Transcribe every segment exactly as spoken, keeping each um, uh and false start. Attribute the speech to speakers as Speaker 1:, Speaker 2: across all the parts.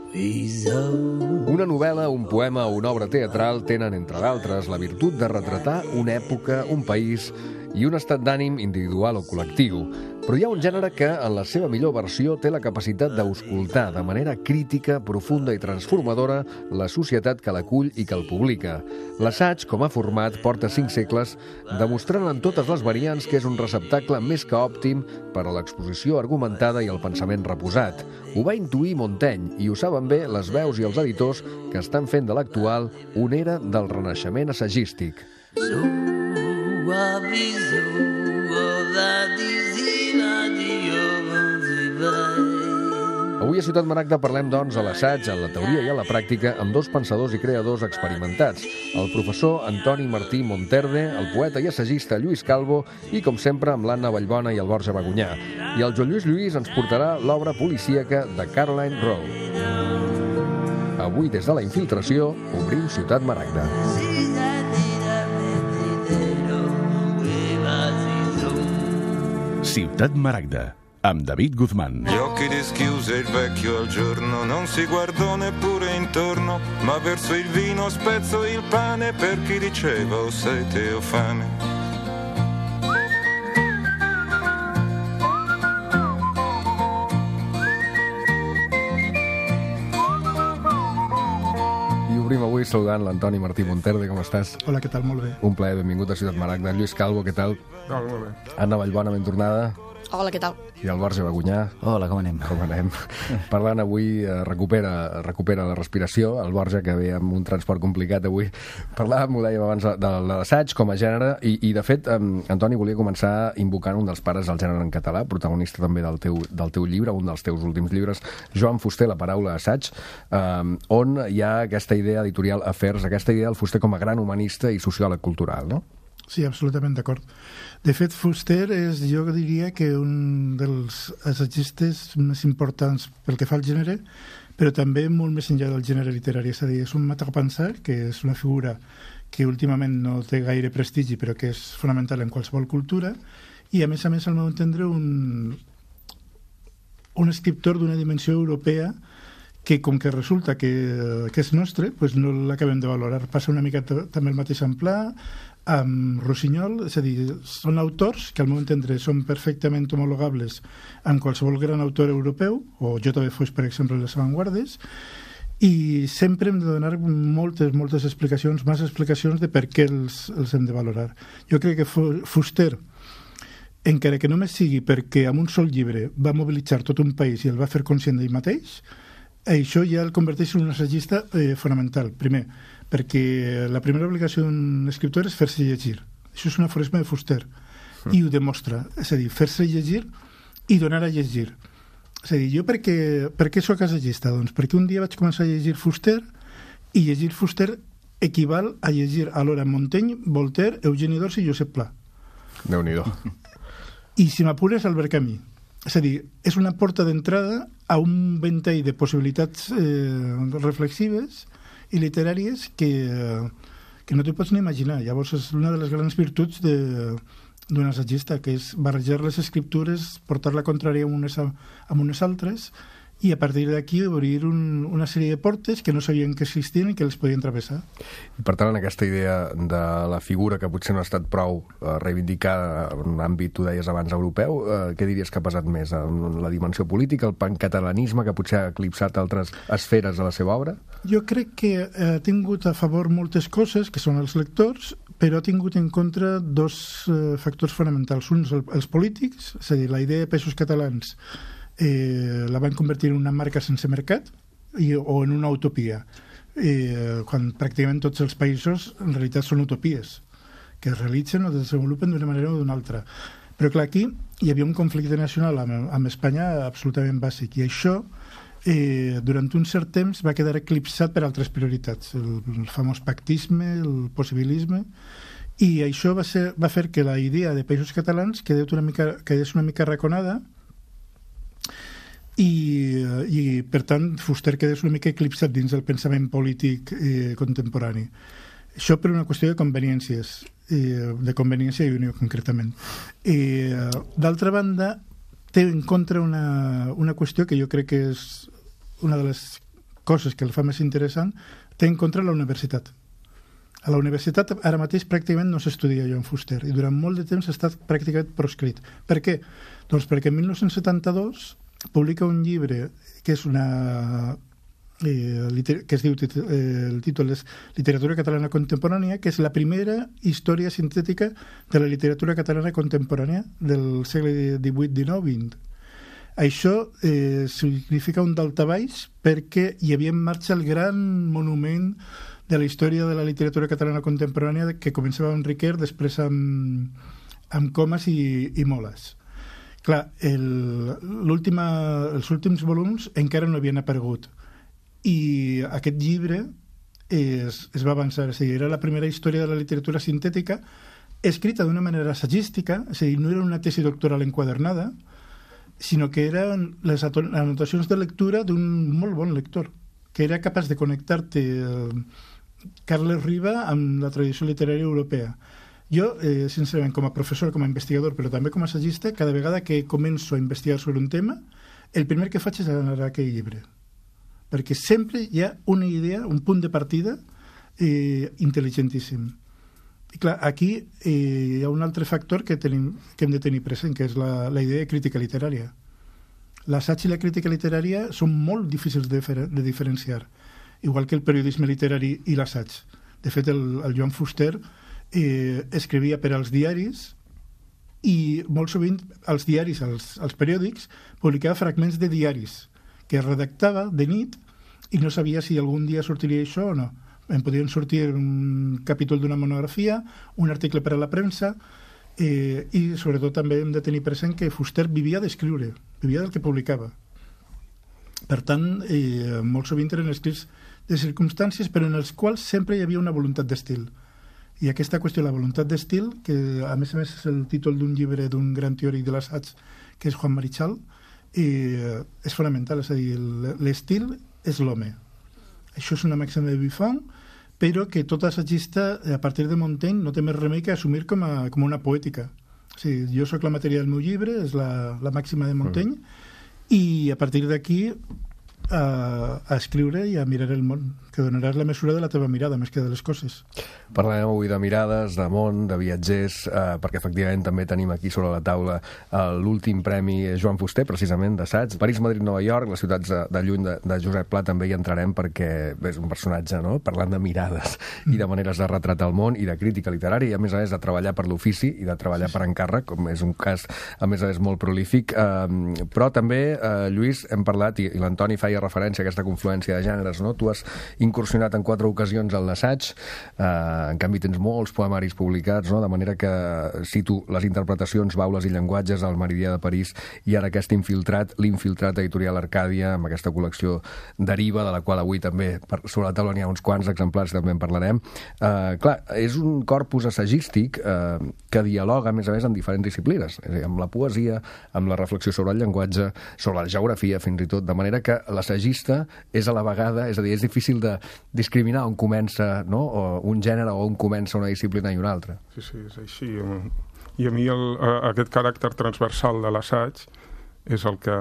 Speaker 1: Una novel·la, un poema o una obra teatral tenen, entre d'altres, la virtut de retratar una època, un país i un estat d'ànim individual o col·lectiu. Però hi ha un gènere que, en la seva millor versió, té la capacitat d'auscultar de manera crítica, profunda i transformadora la societat que l'acull i que el publica. L'assaig, com a format, porta cinc segles, demostrant en totes les variants que és un receptacle més que òptim per a l'exposició argumentada i el pensament reposat. Ho va intuir Montaigne i ho saben bé les veus i els editors que estan fent de l'actual una era del renaixement assagístic. Avui a Ciutat Maragda parlem, doncs, a l'assaig, a la teoria i a la pràctica, amb dos pensadors i creadors experimentats, el professor Antoni Martí Monterde, el poeta i assagista Lluís Calvo i, com sempre, amb l'Anna Vallbona i el Borja Bagunyà. I el Joan Lluís Lluís ens portarà l'obra policíaca de Caroline Rowe. Avui, des de la infiltració, obrim Ciutat Maragda.
Speaker 2: Ciutat Maragda, amb David Guzmán.
Speaker 3: Gli occhi dischiuse il vecchio al giorno, non si guardò neppure intorno, ma verso il vino spezzò il pane per chi diceva o sete o fame.
Speaker 1: Obrim avui saludant l'Antoni Martí Monterde, com estàs?
Speaker 4: Hola, què tal? Molt bé.
Speaker 1: Un plaer, benvingut a Ciutat Maragda. Lluís Calvo, què tal?
Speaker 4: Hola, molt bé.
Speaker 1: Anna Vallbona, ben tornada.
Speaker 5: Hola, què tal?
Speaker 1: I el Borja Bagunyà.
Speaker 6: Hola, com anem?
Speaker 1: Com anem? Parlant avui, eh, recupera, recupera la respiració, el Borja, que ve amb un transport complicat avui. Parlàvem, ho dèiem abans, de l'assaig com a gènere, i, i de fet, eh, Antoni, volia començar invocant un dels pares del gènere en català, protagonista també del teu, del teu llibre, un dels teus últims llibres, Joan Fuster, La paraula assaig, eh, on hi ha aquesta idea editorial Afers, aquesta idea del Fuster com a gran humanista i sociòleg cultural, no?
Speaker 4: Sí, absolutament d'acord. De fet, Fuster és, jo diria que un dels assagistes més importants pel que fa al gènere, però també molt més enllà del gènere literari. És a dir, és un matapensar, que és una figura que últimament no té gaire prestigi, però que és fonamental en qualsevol cultura, i a més a més, al meu entendre, un, un escriptor d'una dimensió europea que, com que resulta que, que és nostre, pues no l'acabem de valorar. Passa una mica també el mateix en Pla, amb Rossinyol, és a dir, són autors que al meu entendre són perfectament homologables amb qualsevol gran autor europeu, o J B Foix, per exemple, les avantguardes, i sempre hem de donar moltes, moltes explicacions, més explicacions de per què els, els hem de valorar. Jo crec que Fuster, encara que només sigui perquè amb un sol llibre va mobilitzar tot un país i el va fer conscient d'ell mateix, això ja el converteix en un assagista eh, fonamental. Primer, perquè la primera obligació d'un escriptor és fer-se llegir. Això és un aforisme de Fuster, mm. i ho demostra. És a dir, fer-se llegir i donar a llegir. És a dir, jo per què, per què soc assagista? Doncs perquè un dia vaig començar a llegir Fuster, i llegir Fuster equival a llegir alhora Montaigne, Voltaire, Eugeni d'Ors i Josep Pla.
Speaker 1: Déu-n'hi-do.
Speaker 4: I si m'apures, Albert Camus. És a dir, és una porta d'entrada a un ventall de possibilitats eh, reflexives i literàries que, que no t'ho pots ni imaginar. Llavors és una de les grans virtuts d'un assagista, que és barrejar les escriptures, portar la contrària amb unes, amb unes altres, i a partir d'aquí obrir un, una sèrie de portes que no sabien que existien i que les podien travessar.
Speaker 1: I per tant, en aquesta idea de la figura que potser no ha estat prou eh, reivindicada en un àmbit, tu deies abans, europeu, eh, què diries que ha pesat més? La dimensió política, el pancatalanisme, que potser ha eclipsat altres esferes de la seva obra?
Speaker 4: Jo crec que ha tingut a favor moltes coses, que són els lectors, però ha tingut en contra dos eh, factors fonamentals. Uns, el, els polítics, és a dir, la idea de Peixos Catalans eh, la van convertir en una marca sense mercat i, o en una utopia, eh, quan pràcticament tots els països en realitat són utopies que es realitzen o desenvolupen d'una manera o d'una altra. Però clar, aquí hi havia un conflicte nacional amb, amb Espanya absolutament bàsic, i això eh, durant un cert temps va quedar eclipsat per altres prioritats, el, el famós pactisme, el possibilisme, i això va, ser, va fer que la idea de Països Catalans quedés una mica, quedés una mica arraconada, i, i per tant Fuster quedés una mica eclipsat dins del pensament polític eh, contemporani. Això per una qüestió de conveniències, eh, de conveniència i unió concretament. Eh, D'altra banda, té en contra una, una qüestió que jo crec que és una de les coses que el fa més interessant, té en contra la universitat. A la universitat ara mateix pràcticament no s'estudia Joan Fuster i durant molt de temps ha estat pràcticament proscrit. Per què? Doncs perquè en dinou setanta-dos publica un llibre que és una... Eh, liter, que es diu, eh, el títol és Literatura catalana contemporània, que és la primera història sintètica de la literatura catalana contemporània del segle divuit, dinou, vint. Això eh, significa un daltabaix perquè hi havia en marxa el gran monument de la història de la literatura catalana contemporània que començava amb Riquer, després amb, amb Comas i, i Moles. Clar, el, els últims volums encara no havien aparegut i aquest llibre es, es va avançar, és a dir, era la primera història de la literatura sintètica escrita d'una manera assagística, és a dir, no era una tesi doctoral enquadernada, sinó que eren les anotacions de lectura d'un molt bon lector, que era capaç de connectar-te eh, Carles Riba amb la tradició literària europea. Jo, eh, sincerament, com a professor, com a investigador, però també com a assagista, cada vegada que començo a investigar sobre un tema, el primer que faig és anar a aquell llibre, perquè sempre hi ha una idea, un punt de partida eh, intel·ligentíssim. I clar, aquí eh, hi ha un altre factor que, tenim, que hem de tenir present, que és la, la idea de crítica literària. L'assaig i la crítica literària són molt difícils de, fer, de diferenciar, igual que el periodisme literari i l'assaig. De fet, el, el Joan Fuster eh, escrivia per als diaris i molt sovint els diaris, els, els periòdics, publicava fragments de diaris que redactava de nit i no sabia si algun dia sortiria això o no. En podien sortir un capítol d'una monografia, un article per a la premsa, eh, i sobretot també hem de tenir present que Fuster vivia d'escriure, vivia del que publicava. Per tant, eh, molt sovint eren escrits de circumstàncies, però en els quals sempre hi havia una voluntat d'estil. I aquesta qüestió, la voluntat d'estil, que a més a més és el títol d'un llibre d'un gran teòric de l'assaig, que és Juan Marichal, eh, és fonamental, és a dir, l'estil és l'home. Això és una màxima de Buffon, però que tot assagista, a partir de Montaigne, no té més remei que assumir com a, com una poètica. O sigui, jo sóc la matèria del meu llibre, és la, la màxima de Montaigne, mm. i a partir d'aquí a, a escriure i a mirar el món, que donaràs la mesura de la teva mirada, més que de les coses.
Speaker 1: Parlarem avui de mirades, de món, de viatgers, eh, perquè efectivament també tenim aquí sobre la taula eh, l'últim premi Joan Fuster, precisament, d'assaig. París, Madrid, Nova York, les ciutats de, de lluny de, de Josep Pla també hi entrarem perquè és un personatge, no?, parlant de mirades mm. i de maneres de retratar el món i de crítica literària i, a més a més, de treballar per l'ofici i de treballar per encàrrec, com és un cas, a més a més, molt prolífic. Eh, però també, eh, Lluís, hem parlat, i, i l'Antoni feia referència a aquesta confluència de gèneres, no? Tu has incursionat en quatre ocasions en l'assaig, eh, en canvi tens molts poemaris publicats, no? De manera que cito les interpretacions, baules i llenguatges al Meridià de París i ara aquest infiltrat, l'infiltrat editorial Arcàdia, amb aquesta col·lecció Deriva, de la qual avui també sobre la taula n'hi ha uns quants exemplars, també en parlarem. Eh, clar, és un corpus assagístic eh, que dialoga, a més a més, amb diferents disciplines, és a dir, amb la poesia, amb la reflexió sobre el llenguatge, sobre la geografia, fins i tot, de manera que l'assagista és a la vegada, és a dir, és difícil de discriminar on comença, no?, o un gènere o on comença una disciplina i una altra.
Speaker 5: Sí, sí, és així. I a mi el, aquest caràcter transversal de l'assaig és el que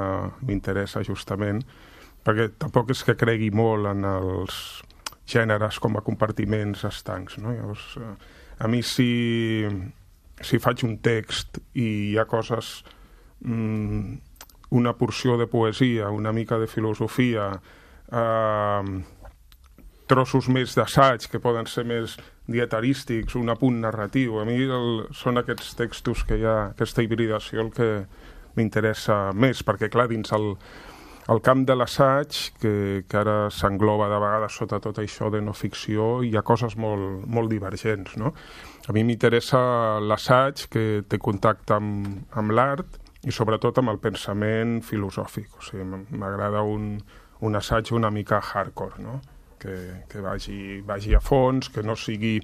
Speaker 5: m'interessa justament, perquè tampoc és que cregui molt en els gèneres com a compartiments estancs, no? Llavors, a mi si, si faig un text i hi ha coses, mmm, una porció de poesia, una mica de filosofia, eh, trossos més d'assaig que poden ser més dietarístics, un apunt narratiu. A mi el, són aquests textos que hi ha, aquesta hibridació, el que m'interessa més, perquè clar, dins el, el camp de l'assaig, que, que ara s'engloba de vegades sota tot això de no ficció, hi ha coses molt, molt divergents, no? A mi m'interessa l'assaig que té contacte amb, amb l'art i sobretot amb el pensament filosòfic. O sigui, m'agrada un, un assaig una mica hardcore, no?, que, que vagi, vagi a fons, que no sigui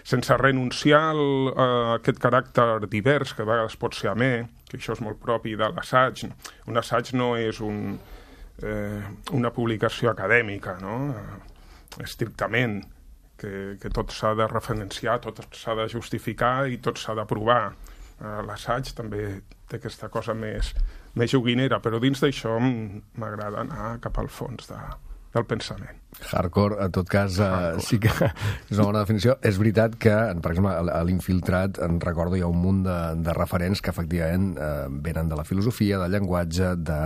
Speaker 5: sense renunciar al, a aquest caràcter divers, que a vegades pot ser amè, que això és molt propi de l'assaig. Un assaig no és un, eh, una publicació acadèmica, no?, estrictament, que, que tot s'ha de referenciar, tot s'ha de justificar i tot s'ha de provar. Eh, l'assaig també té aquesta cosa més, més joguinera, però dins d'això m'agrada anar cap al fons de, del pensament.
Speaker 1: Hardcore, en tot cas, uh, sí que és una bona definició. És veritat que, per exemple, a l'Infiltrat, en recordo, hi ha un munt de, de referents que, efectivament, uh, venen de la filosofia, del llenguatge, de,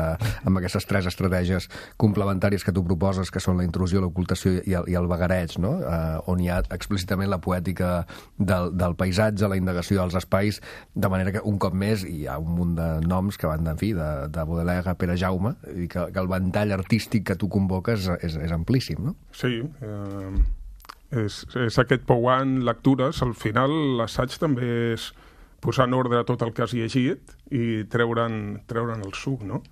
Speaker 1: amb aquestes tres estratègies complementàries que tu proposes, que són la intrusió, l'ocultació i, el, i el vagareig, no? Uh, on hi ha explícitament la poètica del, del paisatge, la indagació dels espais, de manera que, un cop més, hi ha un munt de noms que van, en fi, de, de Baudelaire a Pere Jaume, i que, que el ventall artístic que tu convoques és, és amplíssim. No?
Speaker 5: Sí, eh, és, és aquest pouant lectures. Al final l'assaig també és posar en ordre tot el que has llegit i treure'n treure'n el suc, no?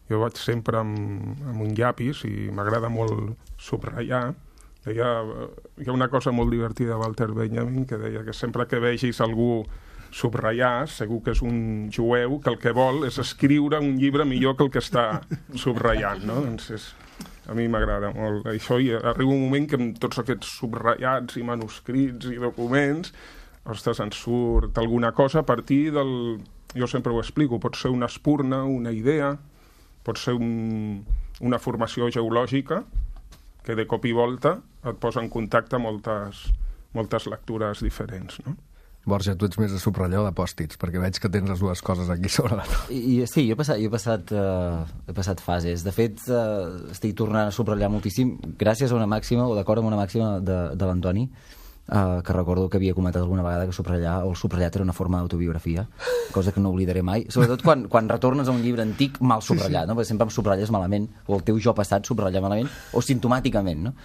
Speaker 5: Jo vaig sempre amb, amb un llapis i m'agrada molt subratllar. Deia, hi ha una cosa molt divertida de Walter Benjamin que deia que sempre que vegis algú subratllar, segur que és un jueu que el que vol és escriure un llibre millor que el que està subratllant, no? Doncs és... A mi m'agrada molt això i arriba un moment que amb tots aquests subratllats i manuscrits i documents, ostres, ens surt alguna cosa a partir del... Jo sempre ho explico, pot ser una espurna, una idea, pot ser un, una formació geològica que de cop i volta et posa en contacte moltes, moltes lectures diferents, no?
Speaker 1: Borja, tu ets més de subratllar o de pòstits, perquè veig que tens les dues coses aquí sobre la taula.
Speaker 6: I, sí, jo he passat, jo he passat, uh, he passat fases. De fet, uh, estic tornant a subratllar moltíssim gràcies a una màxima, o d'acord amb una màxima de, de l'Antoni, uh, que recordo que havia comentat alguna vegada que subratllar, o el subratllat era una forma d'autobiografia, cosa que no oblidaré mai, sobretot quan, quan retornes a un llibre antic mal subratllat, sí, sí. No? Perquè sempre em subratlles malament, o el teu jo passat subratlla malament, o simptomàticament, no?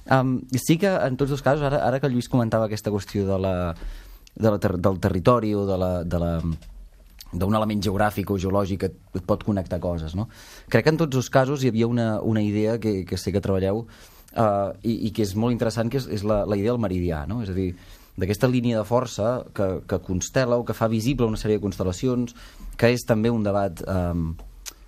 Speaker 6: Um, sí que en tots dos casos, ara, ara que el Lluís comentava aquesta qüestió de la De la ter del territori o de la, de la, d'un element geogràfic o geològic que et, et pot connectar coses, no? Crec que en tots els casos hi havia una, una idea que, que sé que treballeu uh, i, i que és molt interessant, que és, és la, la idea del meridià, no? És a dir, d'aquesta línia de força que, que constela o que fa visible una sèrie de constel·lacions, que és també un debat... Um,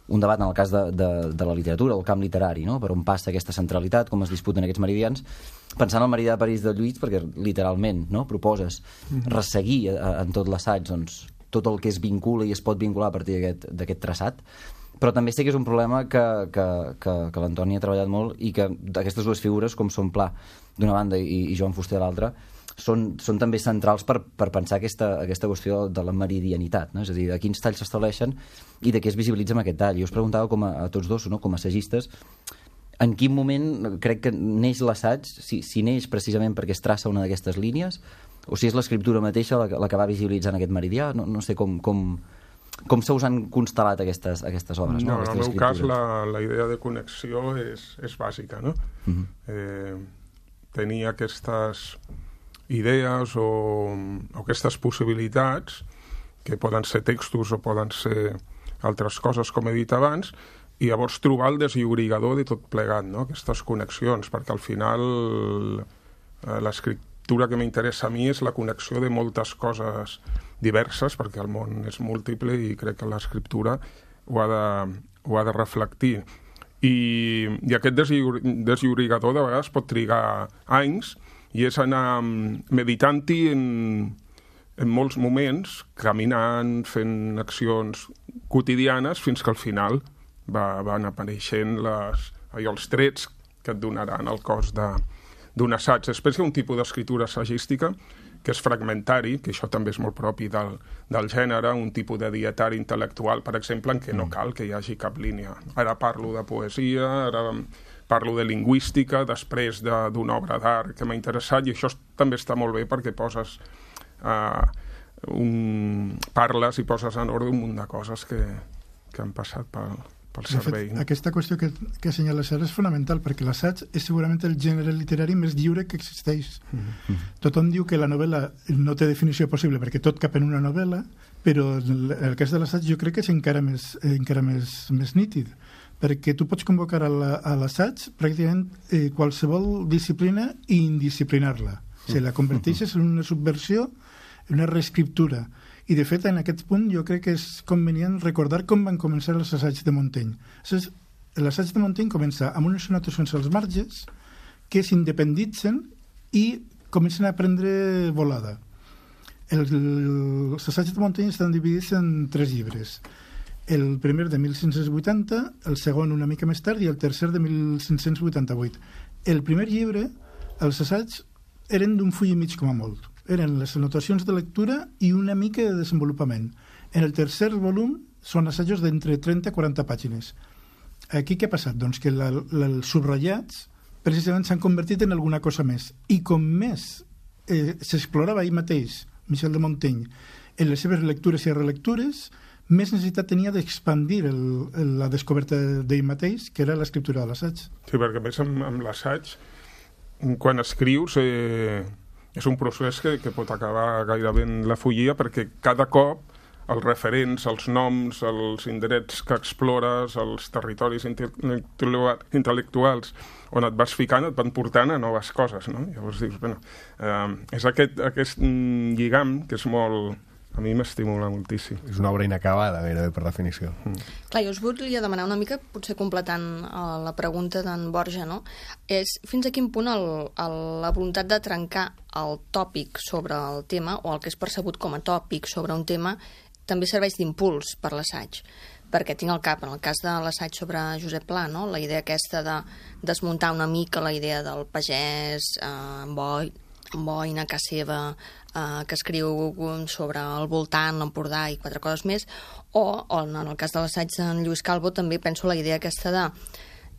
Speaker 6: un debat en el cas de, de, de la literatura, el camp literari, no? Per on passa aquesta centralitat, com es disputen aquests meridians, pensant en el meridià de París de Lluís, perquè literalment, no? Proposes resseguir a, a, en tot l'assaig doncs, tot el que es vincula i es pot vincular a partir d'aquest traçat, però també sé que és un problema que, que, que, que l'Antoni ha treballat molt i que aquestes dues figures, com són Pla d'una banda i, i Joan Fuster de l'altra, són, són també centrals per, per pensar aquesta, aquesta qüestió de la meridianitat, no? És a dir, de quins talls s'estableixen i de què es visibilitza amb aquest tall. Jo us preguntava com a, a tots dos, no? Com a assagistes, en quin moment crec que neix l'assaig, si, si neix precisament perquè es traça una d'aquestes línies, o si és l'escriptura mateixa la, la que va visibilitzant aquest meridià, no, no sé com, com, com se us han constel·lat aquestes, aquestes obres. No,
Speaker 5: no en el meu cas la, la idea de connexió és, és bàsica, no? Uh-huh. eh, tenir aquestes idees o, o aquestes possibilitats que poden ser textos o poden ser altres coses, com he dit abans, i llavors trobar el deslliurigador de tot plegat, no? Aquestes connexions, perquè al final eh, l'escriptura que m'interessa a mi és la connexió de moltes coses diverses, perquè el món és múltiple i crec que l'escriptura ho ha de, ho ha de reflectir. I, i aquest deslliurigador de vegades pot trigar anys i és anar meditant-hi en, en molts moments, caminant, fent accions quotidianes, fins que al final va, van apareixent les, allò, els trets que et donaran el cos d'un assaig. Després hi ha un tipus d'escriptura assagística que és fragmentari, que això també és molt propi del, del gènere, un tipus de dietari intel·lectual, per exemple, en què no cal que hi hagi cap línia. Ara parlo de poesia, ara parlo de lingüística, després d'una obra d'art que m'ha interessat, i això també està molt bé perquè poses uh, un, parles i poses en ordre un munt de coses que, que han passat pel, pel cervell.
Speaker 4: De fet, aquesta qüestió que, que assenyala Sara és fonamental, perquè l'assaig és segurament el gènere literari més lliure que existeix. Mm-hmm. Tothom diu que la novel·la no té definició possible perquè tot cap en una novel·la, però en el cas de l'assaig jo crec que és encara més, encara més, més nítid, perquè tu pots convocar a l'assaig pràcticament eh, qualsevol disciplina i indisciplinar-la. O sigui, la converteixes en una subversió, en una reescriptura. I, de fet, en aquest punt jo crec que és convenient recordar com van començar els assaigs de Montaigne. L'assaig de Montaigne comença amb unes anotacions als marges que s'independitzen i comencen a prendre volada. El, els assaigs de Montaigne estan dividits en tres llibres. El primer de mil cinc-cents vuitanta, el segon una mica més tard i el tercer de mil cinc-cents vuitanta-vuit. El primer llibre, els assaigs, eren d'un full i mig com a molt. Eren les anotacions de lectura i una mica de desenvolupament. En el tercer volum són assajos d'entre trenta a quaranta pàgines. Aquí què ha passat? Doncs que la, la, els subratllats precisament s'han convertit en alguna cosa més. I com més eh, s'explorava ell mateix, Michel de Montaigne, en les seves lectures i relectures, més necessitat tenia d'expandir el, el, la descoberta d'ell mateix, que era l'escriptura de l'assaig.
Speaker 5: Sí, perquè més amb, amb l'assaig, quan escrius, eh, és un procés que, que pot acabar gairebé en la follia, perquè cada cop els referents, els noms, els indrets que explores, els territoris intel·lectuals on et vas ficant, et van portant a noves coses, no? Llavors dius, bueno, eh, és aquest, aquest lligam que és molt... A mi m'estimula moltíssim.
Speaker 1: És una obra inacabada, gairebé, per definició. Mm.
Speaker 7: Clar, jo us volia demanar una mica, potser completant uh, la pregunta d'en Borja, no? És fins a quin punt el, el, la voluntat de trencar el tòpic sobre el tema, o el que és percebut com a tòpic sobre un tema, també serveix d'impuls per l'assaig. Perquè tinc al cap, en el cas de l'assaig sobre Josep Pla, no? La idea aquesta de desmuntar una mica la idea del pagès, eh, en boi, en boina, a casa seva, eh, que escriu sobre el voltant, l'Empordà i quatre coses més, o, o en el cas de l'assaig d'en Lluís Calvo també penso la idea aquesta de,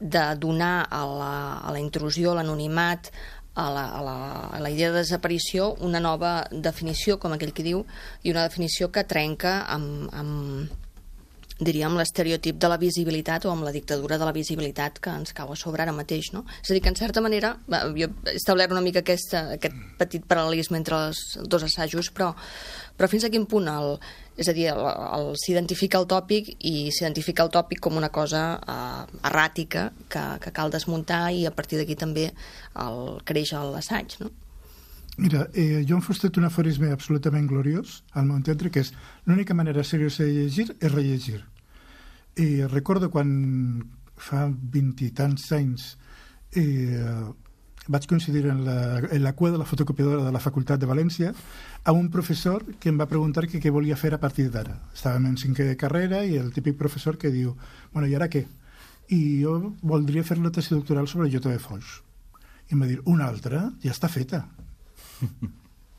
Speaker 7: de donar a la, a la intrusió, a l'anonimat, a la, a, la, a la idea de desaparició una nova definició, com aquell que diu, i una definició que trenca amb, amb diríem, l'estereotip de la visibilitat o amb la dictadura de la visibilitat que ens cau a sobre ara mateix, no? És a dir, que en certa manera, jo he establert una mica aquesta, aquest petit paral·lelisme entre els dos assajos, però, però fins a quin punt el, és a dir, el, el, s'identifica el tòpic i s'identifica el tòpic com una cosa eh, erràtica que, que cal desmuntar i a partir d'aquí també el, creix l'assaig, no?
Speaker 4: Mira, eh, Joan Fuster té un aforisme absolutament gloriós, al meu entendre, que és l'única manera seriosa de llegir és rellegir. I recordo quan fa vint i tants anys eh, vaig coincidir en la, en la cua de la fotocopiadora de la Facultat de València amb un professor que em va preguntar que què volia fer a partir d'ara. Estàvem en cinquè de carrera i el típic professor que diu, bueno, i ara què? I jo voldria fer la tesi doctoral sobre Jota de Foix. I em va dir, una altra? Ja està feta.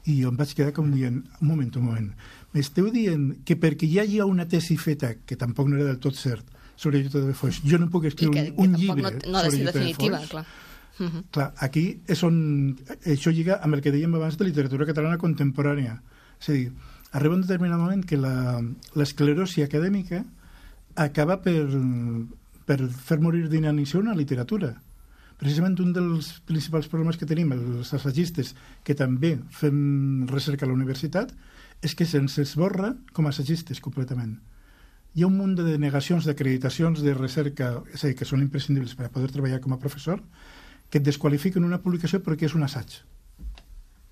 Speaker 4: I jo em vaig quedar com dient, un moment, un moment, m'esteu dient que perquè ja hi ha una tesi feta, que tampoc no era del tot cert, sobre Jota de Foix, jo no puc escriure
Speaker 7: que,
Speaker 4: un, un
Speaker 7: que
Speaker 4: llibre
Speaker 7: no, no
Speaker 4: sobre Jota de Foix?
Speaker 7: Clar. Uh -huh.
Speaker 4: Clar, aquí és on això lliga amb el que dèiem abans de literatura catalana contemporània. És a dir, arriba un determinat moment que l'esclerosi acadèmica acaba per, per fer morir d'inanició una literatura. Precisament un dels principals problemes que tenim els assaggistes que també fem recerca a la universitat és que se'ns esborra com a assaggistes completament. Hi ha un munt de denegacions, d'acreditacions de recerca, és a dir, que són imprescindibles per a poder treballar com a professor, que et desqualifiquen una publicació perquè és un assaig.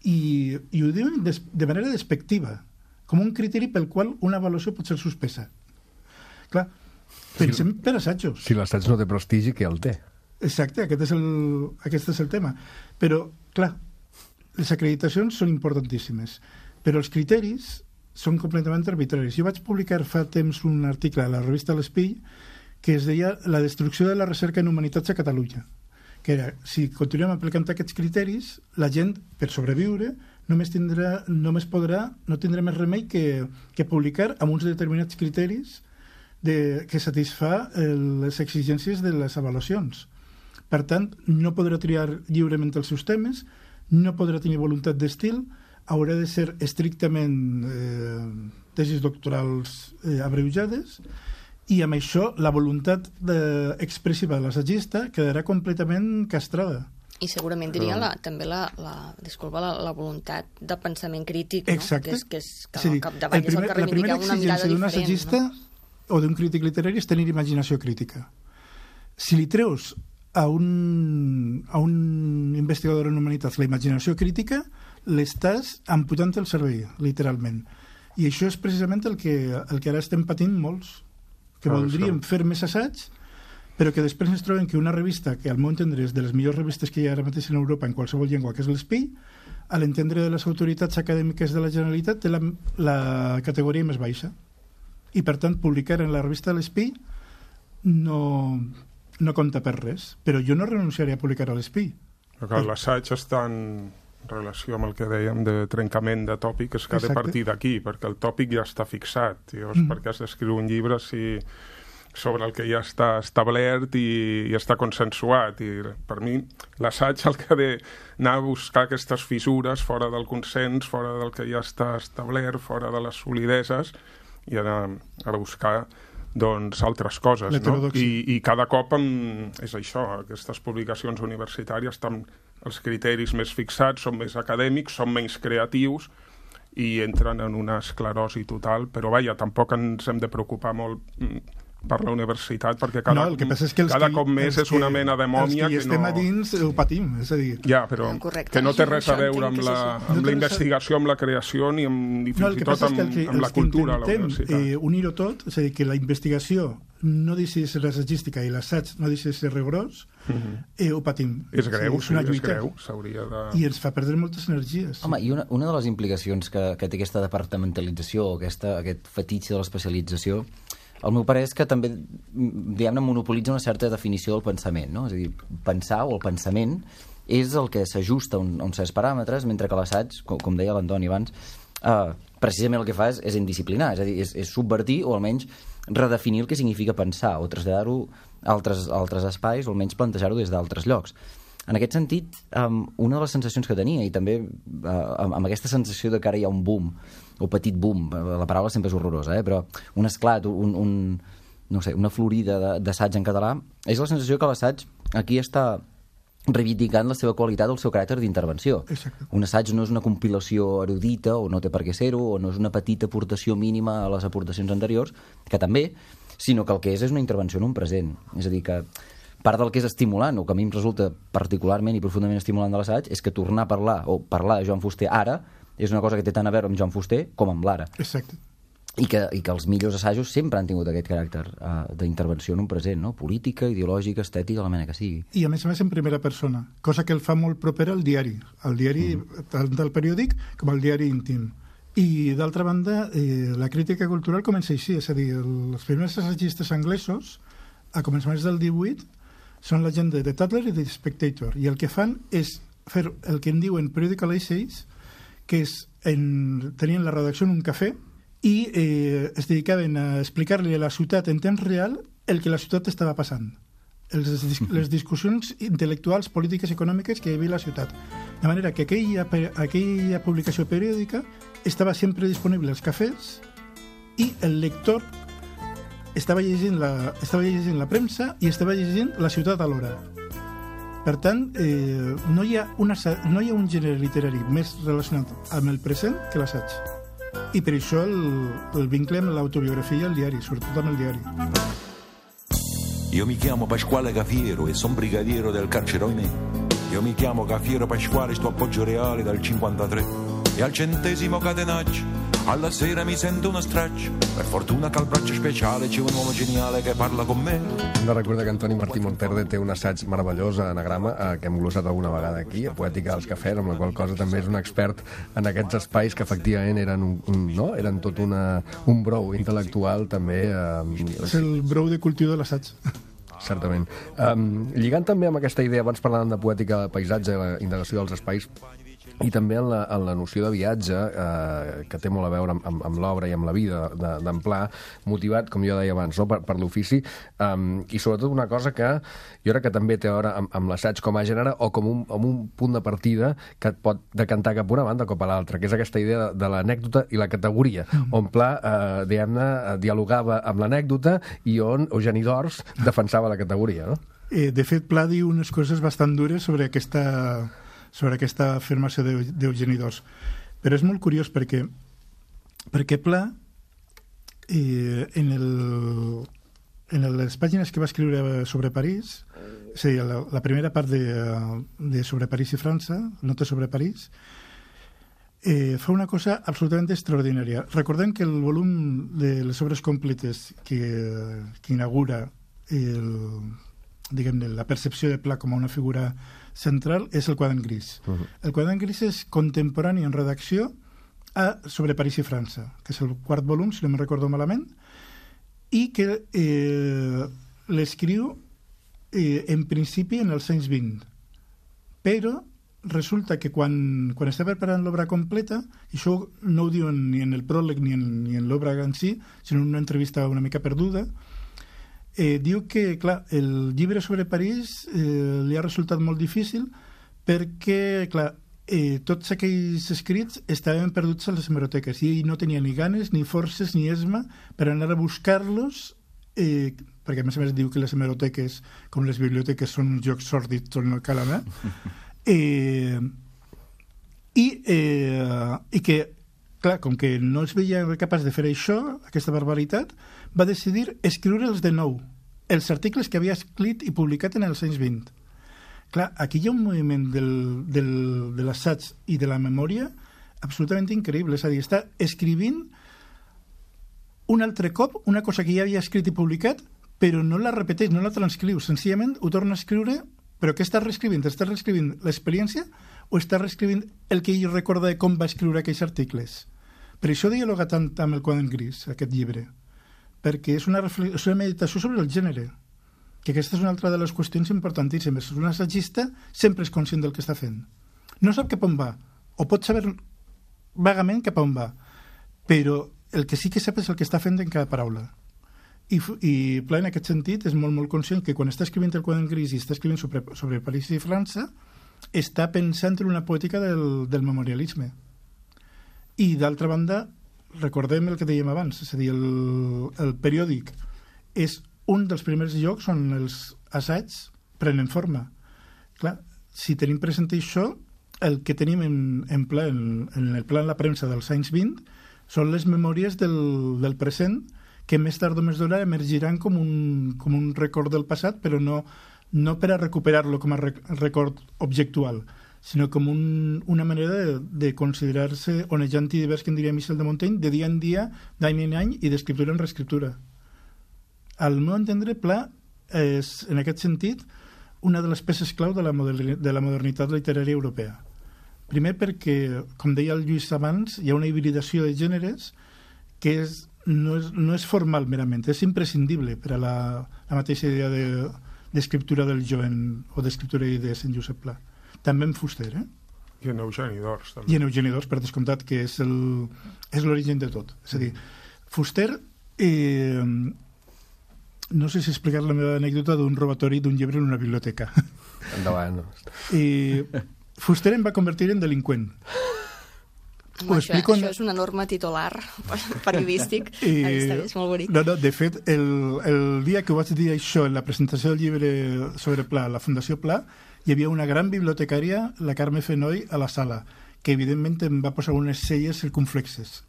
Speaker 4: I, i ho diuen des, de manera despectiva, com un criteri pel qual una avaluació pot ser suspesa. Clar, pensem
Speaker 1: si,
Speaker 4: per assajos.
Speaker 1: Si l'assaig no té prestigi, què el té?
Speaker 4: Exacte, aquest és, el, aquest és el tema. Però, clar, les acreditacions són importantíssimes, però els criteris són completament arbitraris. Jo vaig publicar fa temps un article a la revista L'Espill que es deia La destrucció de la recerca en humanitats a Catalunya, que era, si continuem aplicant aquests criteris, la gent, per sobreviure, només, tindrà, només podrà, no tindrà més remei que, que publicar amb uns determinats criteris de, que satisfà les exigències de les avaluacions. Per tant, no podrà triar lliurement els seus temes, no podrà tenir voluntat d'estil, haurà de ser estrictament eh, tesis doctorals eh, abreujades, i amb això la voluntat de, expressiva de l'assagista quedarà completament castrada.
Speaker 7: I segurament diria la, també la, la, disculpa, la, la voluntat de pensament crític, no?
Speaker 4: Exacte.
Speaker 7: Que és, que és que
Speaker 4: sí,
Speaker 7: al capdavall és el que reivindica una mirada
Speaker 4: d'un
Speaker 7: diferent.
Speaker 4: assagista, no? O d'un crític literari és tenir imaginació crítica. Si li treus a un, a un investigador en humanitats la imaginació crítica, l'estàs amputant el cervell, literalment. I això és precisament el que, el que ara estem patint molts, que ah, voldríem fer més assaigs, però que després ens trobem que una revista, que al meu entendre és de les millors revistes que hi ha ara mateix en Europa en qualsevol llengua, que és l'Espill, a l'entendre de les autoritats acadèmiques de la Generalitat té la, la categoria més baixa. i per tant publicar en la revista de l'Espí no, no compta per res, però jo no renunciaré a publicar a l'Espí.
Speaker 5: L'assaig està en relació amb el que dèiem de trencament de tòpic, és que ha de partir d'aquí, perquè el tòpic ja està fixat. Llavors, mm. per què has d'escriure un llibre si sobre el que ja està establert i, i està consensuat? I per mi l'assaig el que ha d'anar a buscar aquestes fissures fora del consens, fora del que ja està establert, fora de les solideses, i anar a buscar doncs, altres coses, no? I, i cada cop amb, és això, aquestes publicacions universitàries estan els criteris més fixats, són més acadèmics, són menys creatius i entren en una esclerosi total, però vaja, tampoc ens hem de preocupar molt per la universitat, perquè cada,
Speaker 4: no, el que passa és que
Speaker 5: cada
Speaker 4: que,
Speaker 5: cop més és una mena de mòmia
Speaker 4: que,
Speaker 5: que
Speaker 4: no... estem a dins ho patim, és a dir...
Speaker 5: Ja, però Correcte. que no té res a veure amb la, amb la investigació, amb la creació, ni, amb, ni fins no, i tot amb, que, amb la cultura a la universitat.
Speaker 4: Eh, unir-ho tot, és a dir, que la investigació no deixi de ser assagística i l'assaig no deixi de ser rigorós, uh-huh. eh, ho patim.
Speaker 5: És greu,
Speaker 4: sí, és, una
Speaker 5: sí, és greu, s'hauria de...
Speaker 4: I ens fa perdre moltes energies.
Speaker 6: Home, i una, una de les implicacions que, que té aquesta departamentalització, aquesta, aquest fetitxe de l'especialització, el meu parer és que també, diguem-ne, monopolitza una certa definició del pensament, no? És a dir, pensar o el pensament és el que s'ajusta a, un, a uns certs paràmetres, mentre que l'assaig, com, com deia l'Antoni abans, eh, precisament el que fa és, és indisciplinar, és a dir, és, és subvertir o almenys redefinir el que significa pensar o traslladar-ho a altres, a altres espais o almenys plantejar-ho des d'altres llocs. En aquest sentit, um, una de les sensacions que tenia, i també uh, amb, amb aquesta sensació de que ara hi ha un boom, o petit boom, la paraula sempre és horrorosa, eh? Però un esclat, un, un, no sé, una florida d'assaig en català, és la sensació que l'assaig aquí està reivindicant la seva qualitat, el seu caràcter d'intervenció.
Speaker 4: Exacte.
Speaker 6: Un assaig no és una compilació erudita, o no té per què ser-ho, o no és una petita aportació mínima a les aportacions anteriors, que també, sinó que el que és és una intervenció en un present. És a dir, que part del que és estimulant, o que a mi em resulta particularment i profundament estimulant de l'assaig, és que tornar a parlar, o parlar de Joan Fuster ara, és una cosa que té tant a veure amb Joan Fuster com amb l'ara.
Speaker 4: Exacte.
Speaker 6: I que, i que els millors assajos sempre han tingut aquest caràcter uh, d'intervenció en un present, no? Política, ideològica, estètica, la mena que sigui.
Speaker 4: I a més a més en primera persona, cosa que el fa molt proper al diari, al diari mm. tant del periòdic com al diari íntim. I d'altra banda, eh, la crítica cultural comença així, és a dir, els primers assagistes anglesos, a començaments del divuit, són la gent de The Tatler i The Spectator, i el que fan és fer el que en diuen periodical essays, que és en, tenien la redacció en un cafè i eh, es dedicaven a explicar-li a la ciutat en temps real el que la ciutat estava passant, els, les discussions intel·lectuals, polítiques i econòmiques que hi havia a la ciutat. De manera que aquella, aquella publicació periòdica estava sempre disponible als cafès i el lector estava llegint la, estava llegint la premsa i estava llegint la ciutat alhora. Per tant, eh, no, hi ha una, no hi ha un gènere literari més relacionat amb el present que l'assaig. I per això el, el vincle amb l'autobiografia i el diari, sobretot amb el diari.
Speaker 8: Io mi chiamo Pasquale Cafiero e son brigadiero del carcere Oimè. Io mi chiamo Cafiero Pasquale, sto appoggio reale dal cinquantatré. E al centesimo catenaccio alla sera mi sento uno straccio. Per fortuna che al braccio speciale c'è un uomo geniale che parla con me.
Speaker 1: Hem de recordar que Antoni Martí Monterde té un assaig meravellós a anagrama eh, que hem glossat alguna vegada aquí, a Poètica dels Cafès, amb la qual cosa també és un expert en aquests espais que efectivament eren, un, un, no? eren tot una, un brou intel·lectual també. Eh,
Speaker 4: és el brou de cultiu de l'assaig.
Speaker 1: Certament. Um, lligant també amb aquesta idea, abans parlàvem de poètica de paisatge i la indagació dels espais, i també en la, en la noció de viatge, eh, que té molt a veure amb, amb, amb l'obra i amb la vida d'en Pla, motivat, com jo deia abans, no? per, per l'ofici, um, i sobretot una cosa que jo crec que també té a veure amb, amb l'assaig com a gènere o com un, amb un punt de partida que et pot decantar cap a una banda o cap a l'altra, que és aquesta idea de, de l'anècdota i la categoria, mm. on Pla, eh, diguem-ne, dialogava amb l'anècdota i on Eugeni d'Ors defensava la categoria, no?
Speaker 4: Eh, de fet, Pla diu unes coses bastant dures sobre aquesta... sobre aquesta afirmació d'Eugeni d'Ors. Però és molt curiós perquè, perquè Pla, eh, en, el, en les pàgines que va escriure sobre París, és a dir, la, la primera part de, de sobre París i França, Notes sobre París, eh, fa una cosa absolutament extraordinària. Recordem que el volum de les obres completes que, que inaugura el, diguem-ne, la percepció de Pla com a una figura central és el quadern gris. Uh -huh. El quadern gris és contemporani en redacció a Sobre París i França, que és el quart volum, si no me'n recordo malament, i que eh, l'escriu eh, en principi en els anys vint. Però resulta que quan, quan està preparant l'obra completa, i això no ho diuen ni en el pròleg ni en, ni en l'obra en si, sinó en una entrevista una mica perduda, eh, diu que, clar, el llibre sobre París eh, li ha resultat molt difícil perquè, clar, eh, tots aquells escrits estaven perduts a les hemeroteques i ell no tenia ni ganes, ni forces, ni esma per anar a buscar-los, eh, perquè a més a més diu que les hemeroteques, com les biblioteques, són uns llocs sòrdids on no cal anar, eh, i, eh, i que, clar, com que no es veia capaç de fer això, aquesta barbaritat, va decidir escriure'ls de nou, els articles que havia escrit i publicat en els anys vint. Clar, aquí hi ha un moviment del, del, de l'assaig i de la memòria absolutament increïble, és a dir, està escrivint un altre cop una cosa que ja havia escrit i publicat, però no la repeteix, no la transcriu, senzillament ho torna a escriure, però què està reescrivint? Està reescrivint l'experiència o està reescrivint el que ell recorda de com va escriure aquells articles? Per això dialoga tant amb el Quadern Gris, aquest llibre, perquè és una, reflex... és una meditació sobre el gènere, que aquesta és una altra de les qüestions importantíssimes. Un assagista sempre és conscient del que està fent. No sap cap on va, o pot saber vagament cap on va, però el que sí que sap és el que està fent en cada paraula. I, i Pla, en aquest sentit, és molt, molt conscient que quan està escrivint el Quadern Gris i està escrivint sobre, sobre París i França, està pensant en una poètica del, del memorialisme. I, d'altra banda, recordem el que dèiem abans, és a dir, el, el periòdic és un dels primers llocs on els assaigs prenen forma. Clar, si tenim present això, el que tenim en, en, pla, en, en el pla en la premsa dels anys vint són les memòries del, del present que més tard o més d'hora emergiran com un, com un record del passat, però no, no per a recuperar-lo com a rec record objectual, sinó com un, una manera de, de considerar-se onejant i divers, que en diria Michel de Montaigne, de dia en dia, d'any en any i d'escriptura en reescriptura. Al meu entendre, Pla és, en aquest sentit, una de les peces clau de la, de la modernitat literària europea. Primer perquè, com deia el Lluís abans, hi ha una hibridació de gèneres que és, no, és, no és formal merament, és imprescindible per a la, la mateixa idea d'escriptura de, del jo en, o d'escriptura d'idees en Josep Pla. També en Fuster, eh?
Speaker 5: I en Eugeni d'Ors, també.
Speaker 4: I en Eugeni d'Ors, per descomptat, que és l'origen de tot. És a dir, Fuster... Eh, no sé si explicar la meva anècdota d'un robatori d'un llibre en una biblioteca.
Speaker 1: Endavant.
Speaker 4: I Fuster em va convertir en delinqüent.
Speaker 7: Home, això, això en... és una norma titular periodístic. I... Està bé, és molt bonic.
Speaker 4: No, no, de fet, el, el dia que ho vaig dir això en la presentació del llibre sobre Pla, la Fundació Pla, hi havia una gran bibliotecària, la Carme Fenoy, a la sala, que evidentment em va posar unes celles circunflexes.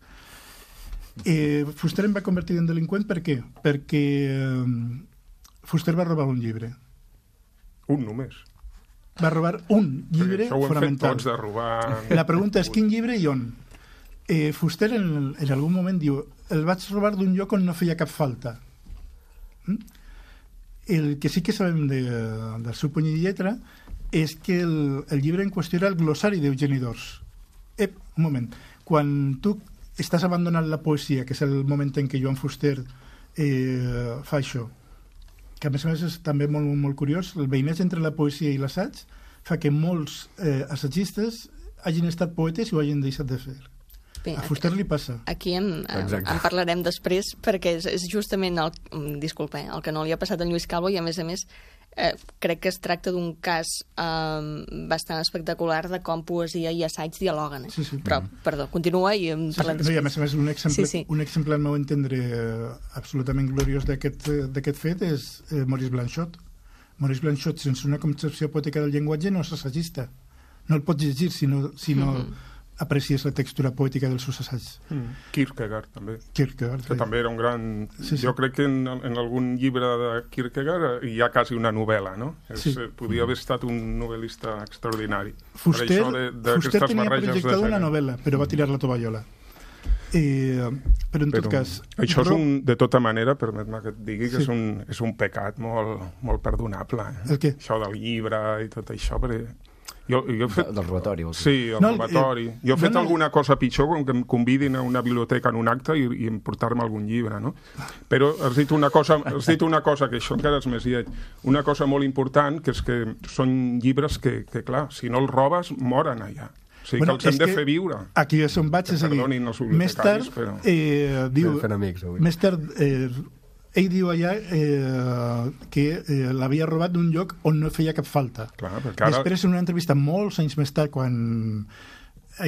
Speaker 4: Eh, Fuster em va convertir en delinqüent per què? Perquè eh, Fuster va robar un llibre.
Speaker 5: Un només.
Speaker 4: Va robar un llibre
Speaker 5: això ho hem
Speaker 4: fonamental.
Speaker 5: Fet tots de robar...
Speaker 4: La pregunta és quin llibre i on? Eh, Fuster en, en algun moment diu el vaig robar d'un lloc on no feia cap falta. Mm? El que sí que sabem de, del seu puny i lletra és que el, el llibre en qüestió era el glossari d'Eugeni d'Ors. Ep, un moment. Quan tu estàs abandonant la poesia, que és el moment en què Joan Fuster eh, fa això, que a més a més és també molt, molt curiós, el veïnatge entre la poesia i l'assaig fa que molts eh, assaggistes hagin estat poetes i ho hagin deixat de fer. Bé, a Fuster li passa.
Speaker 7: Aquí en, en, en parlarem després, perquè és, és justament el, disculpa, eh, el que no li ha passat a Lluís Calvo, i a més a més eh, crec que es tracta d'un cas eh, bastant espectacular de com poesia i assaig dialoguen. Eh? Sí, sí. Però, perdó, continua i en
Speaker 4: sí,
Speaker 7: parlem
Speaker 4: sí,
Speaker 7: després.
Speaker 4: No, i a més a més, un exemple,
Speaker 7: sí, sí.
Speaker 4: un exemple al meu entendre eh, absolutament gloriós d'aquest fet és eh, Maurice Blanchot. Maurice Blanchot, sense una concepció poètica del llenguatge, no és assagista. No el pots llegir si no, si no mm-hmm. aprecies la textura poètica dels seus assaigs.
Speaker 5: Mm. Kierkegaard, també.
Speaker 4: Kierkegaard,
Speaker 5: que sí. També era un gran... Sí, sí. Jo crec que en, en algun llibre de Kierkegaard hi ha quasi una novel·la, no? Sí. És, podia haver estat un novel·lista extraordinari.
Speaker 4: Fuster, per de, de Fuster tenia projectat una novel·la, però va tirar la tovallola. Eh, però en però, tot cas...
Speaker 5: Això és un, de tota manera, permet-me que et digui que sí. és, un, és un pecat molt, molt perdonable. Eh?
Speaker 4: El què?
Speaker 5: Això del llibre i tot això, perquè Jo, jo he fet...
Speaker 6: Del robatori.
Speaker 5: Sí, el
Speaker 4: no,
Speaker 5: robatori.
Speaker 4: Eh,
Speaker 5: jo he fet
Speaker 4: no, no,
Speaker 5: alguna cosa pitjor, com que em convidin a una biblioteca en un acte i, i emportar-me algun llibre, no? Però has dit una cosa, has dit una cosa que això encara és més lleig. Una cosa molt important, que és que són llibres que, que clar, si no els robes, moren allà. O sigui, bueno, que els hem de fer viure.
Speaker 4: Aquí és on vaig, és a dir, més tard,
Speaker 5: però...
Speaker 4: eh, diu,
Speaker 1: fent amics, avui.
Speaker 4: més tard, eh, ell diu allà eh, que eh, l'havia robat d'un lloc on no feia cap falta.
Speaker 5: Clar, ara...
Speaker 4: Després, en una entrevista molts anys més tard, quan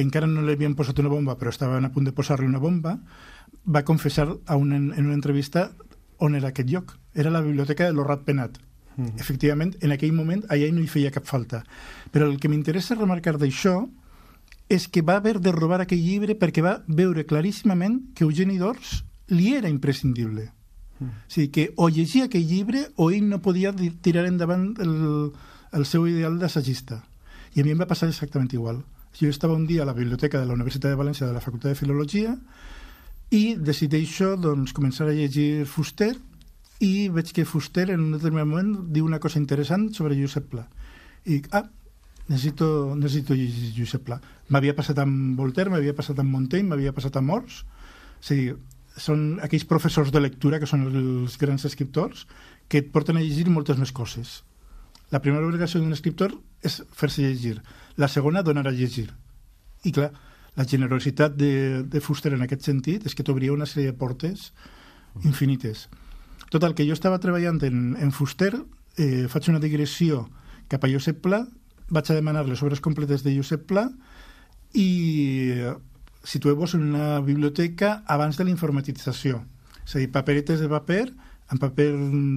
Speaker 4: encara no li havien posat una bomba, però estaven a punt de posar-li una bomba, va confessar a una, en una entrevista on era aquest lloc. Era la biblioteca de l'Orrat Penat. Mm. Efectivament, en aquell moment, allà no hi feia cap falta. Però el que m'interessa remarcar d'això és que va haver de robar aquell llibre perquè va veure claríssimament que Eugeni d'Ors li era imprescindible. Mm. O sigui, que o llegia aquell llibre o ell no podia tirar endavant el, el seu ideal d'assagista. I a mi em va passar exactament igual. Jo estava un dia a la biblioteca de la Universitat de València de la Facultat de Filologia i decideixo doncs, començar a llegir Fuster i veig que Fuster en un determinat moment diu una cosa interessant sobre Josep Pla. I dic, ah, necessito, necessito llegir Josep Pla. M'havia passat amb Voltaire, m'havia passat amb Montaigne, m'havia passat amb Ors. O sigui, són aquells professors de lectura que són els grans escriptors que et porten a llegir moltes més coses. La primera obligació d'un escriptor és fer-se llegir. La segona, donar a llegir. I clar, la generositat de, de Fuster en aquest sentit és que t'obria una sèrie de portes infinites. Tot el que jo estava treballant en, en Fuster, eh, faig una digressió cap a Josep Pla, vaig a demanar les obres completes de Josep Pla i eh, situeu-vos en una biblioteca abans de la informatització. És a dir, paperetes de paper, en paper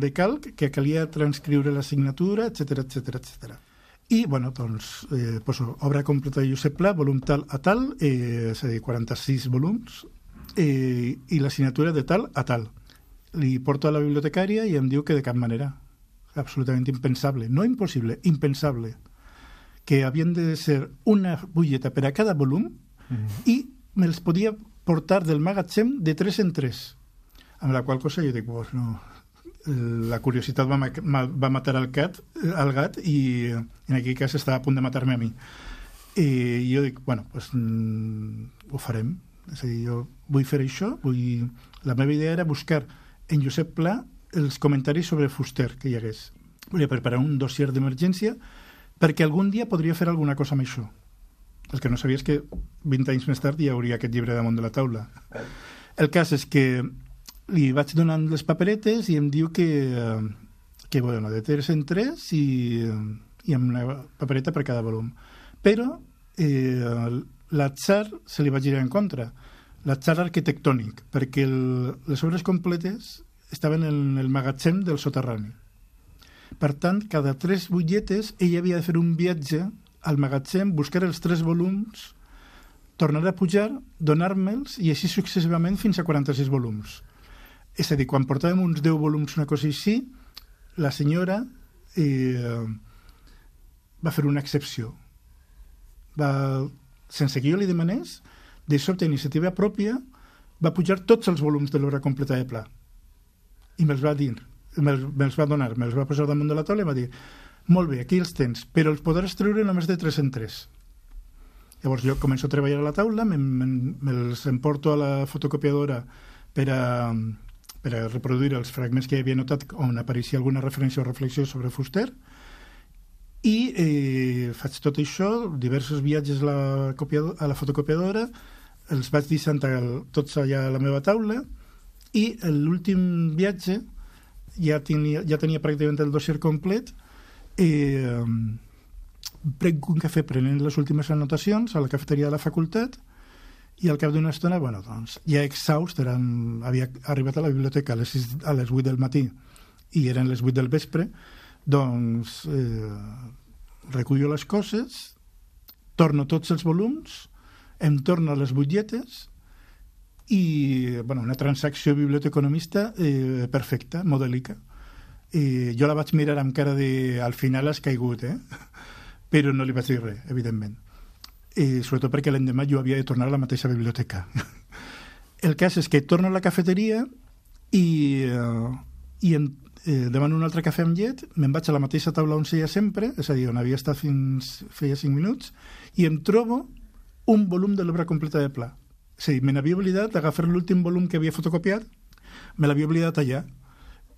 Speaker 4: de calc, que calia transcriure la signatura, etcètera, etcètera, etcètera. I, bueno, doncs, eh, poso obra completa de Josep Pla, volum tal a tal, eh, és a dir, quaranta-sis volums, eh, i la signatura de tal a tal. Li porto a la bibliotecària i em diu que de cap manera. Absolutament impensable. No impossible, impensable. Que havien de ser una butlleta per a cada volum mm-hmm. i me'ls podia portar del magatzem de tres en tres. Amb la qual cosa jo dic, pues no, la curiositat va, ma va matar el gat, el gat i en aquell cas estava a punt de matar-me a mi. I jo dic, bueno, pues, mm, ho farem. És a dir, jo vull fer això, vull... La meva idea era buscar en Josep Pla els comentaris sobre Fuster que hi hagués. Volia preparar un dossier d'emergència perquè algun dia podria fer alguna cosa amb això. El que no sabia és que vint anys més tard hi hauria aquest llibre damunt de la taula. El cas és que li vaig donant les paperetes i em diu que, que bueno, de tres en tres i, i amb una papereta per cada volum. Però eh, l'atzar se li va girar en contra. L'atzar arquitectònic, perquè el, les obres completes estaven en el magatzem del soterrani. Per tant, cada tres butlletes ell havia de fer un viatge al magatzem, buscar els tres volums, tornar a pujar, donar-me'ls i així successivament fins a quaranta-sis volums. És a dir, quan portàvem uns deu volums, una cosa així, la senyora eh, va fer una excepció. Va, sense que jo li demanés, de sobte, iniciativa pròpia, va pujar tots els volums de l'obra completa de Pla. I me'ls va dir, me'ls me va donar, me'ls va posar damunt de la taula i va dir, molt bé, aquí els tens, però els podràs treure només de tres en tres. Llavors jo començo a treballar a la taula, me'ls me, me emporto a la fotocopiadora per a... per a reproduir els fragments que havia notat on apareixia alguna referència o reflexió sobre Fuster i eh, faig tot això, diversos viatges a la, a la fotocopiadora, els vaig deixant tots allà a la meva taula i l'últim viatge ja tenia, ja tenia pràcticament el dossier complet i eh, prenc un cafè prenent les últimes anotacions a la cafeteria de la facultat i al cap d'una estona, bueno, doncs, ja exhaust, eren, havia arribat a la biblioteca a les, sis, a les vuit del matí i eren les vuit del vespre, doncs eh, recullo les coses, torno tots els volums, em torno a les butlletes i, bueno, una transacció biblioteconomista eh, perfecta, modèlica. Eh, jo la vaig mirar amb cara de al final has caigut, eh? Però no li vaig dir res, evidentment. Eh, sobretot perquè l'endemà jo havia de tornar a la mateixa biblioteca. El cas és que torno a la cafeteria i, eh, i en, eh, demano un altre cafè amb llet, me'n vaig a la mateixa taula on seia sempre, és a dir, on havia estat fins feia cinc minuts, i em trobo un volum de l'obra completa de Pla. És a dir, me n'havia oblidat d'agafar l'últim volum que havia fotocopiat, me l'havia oblidat allà.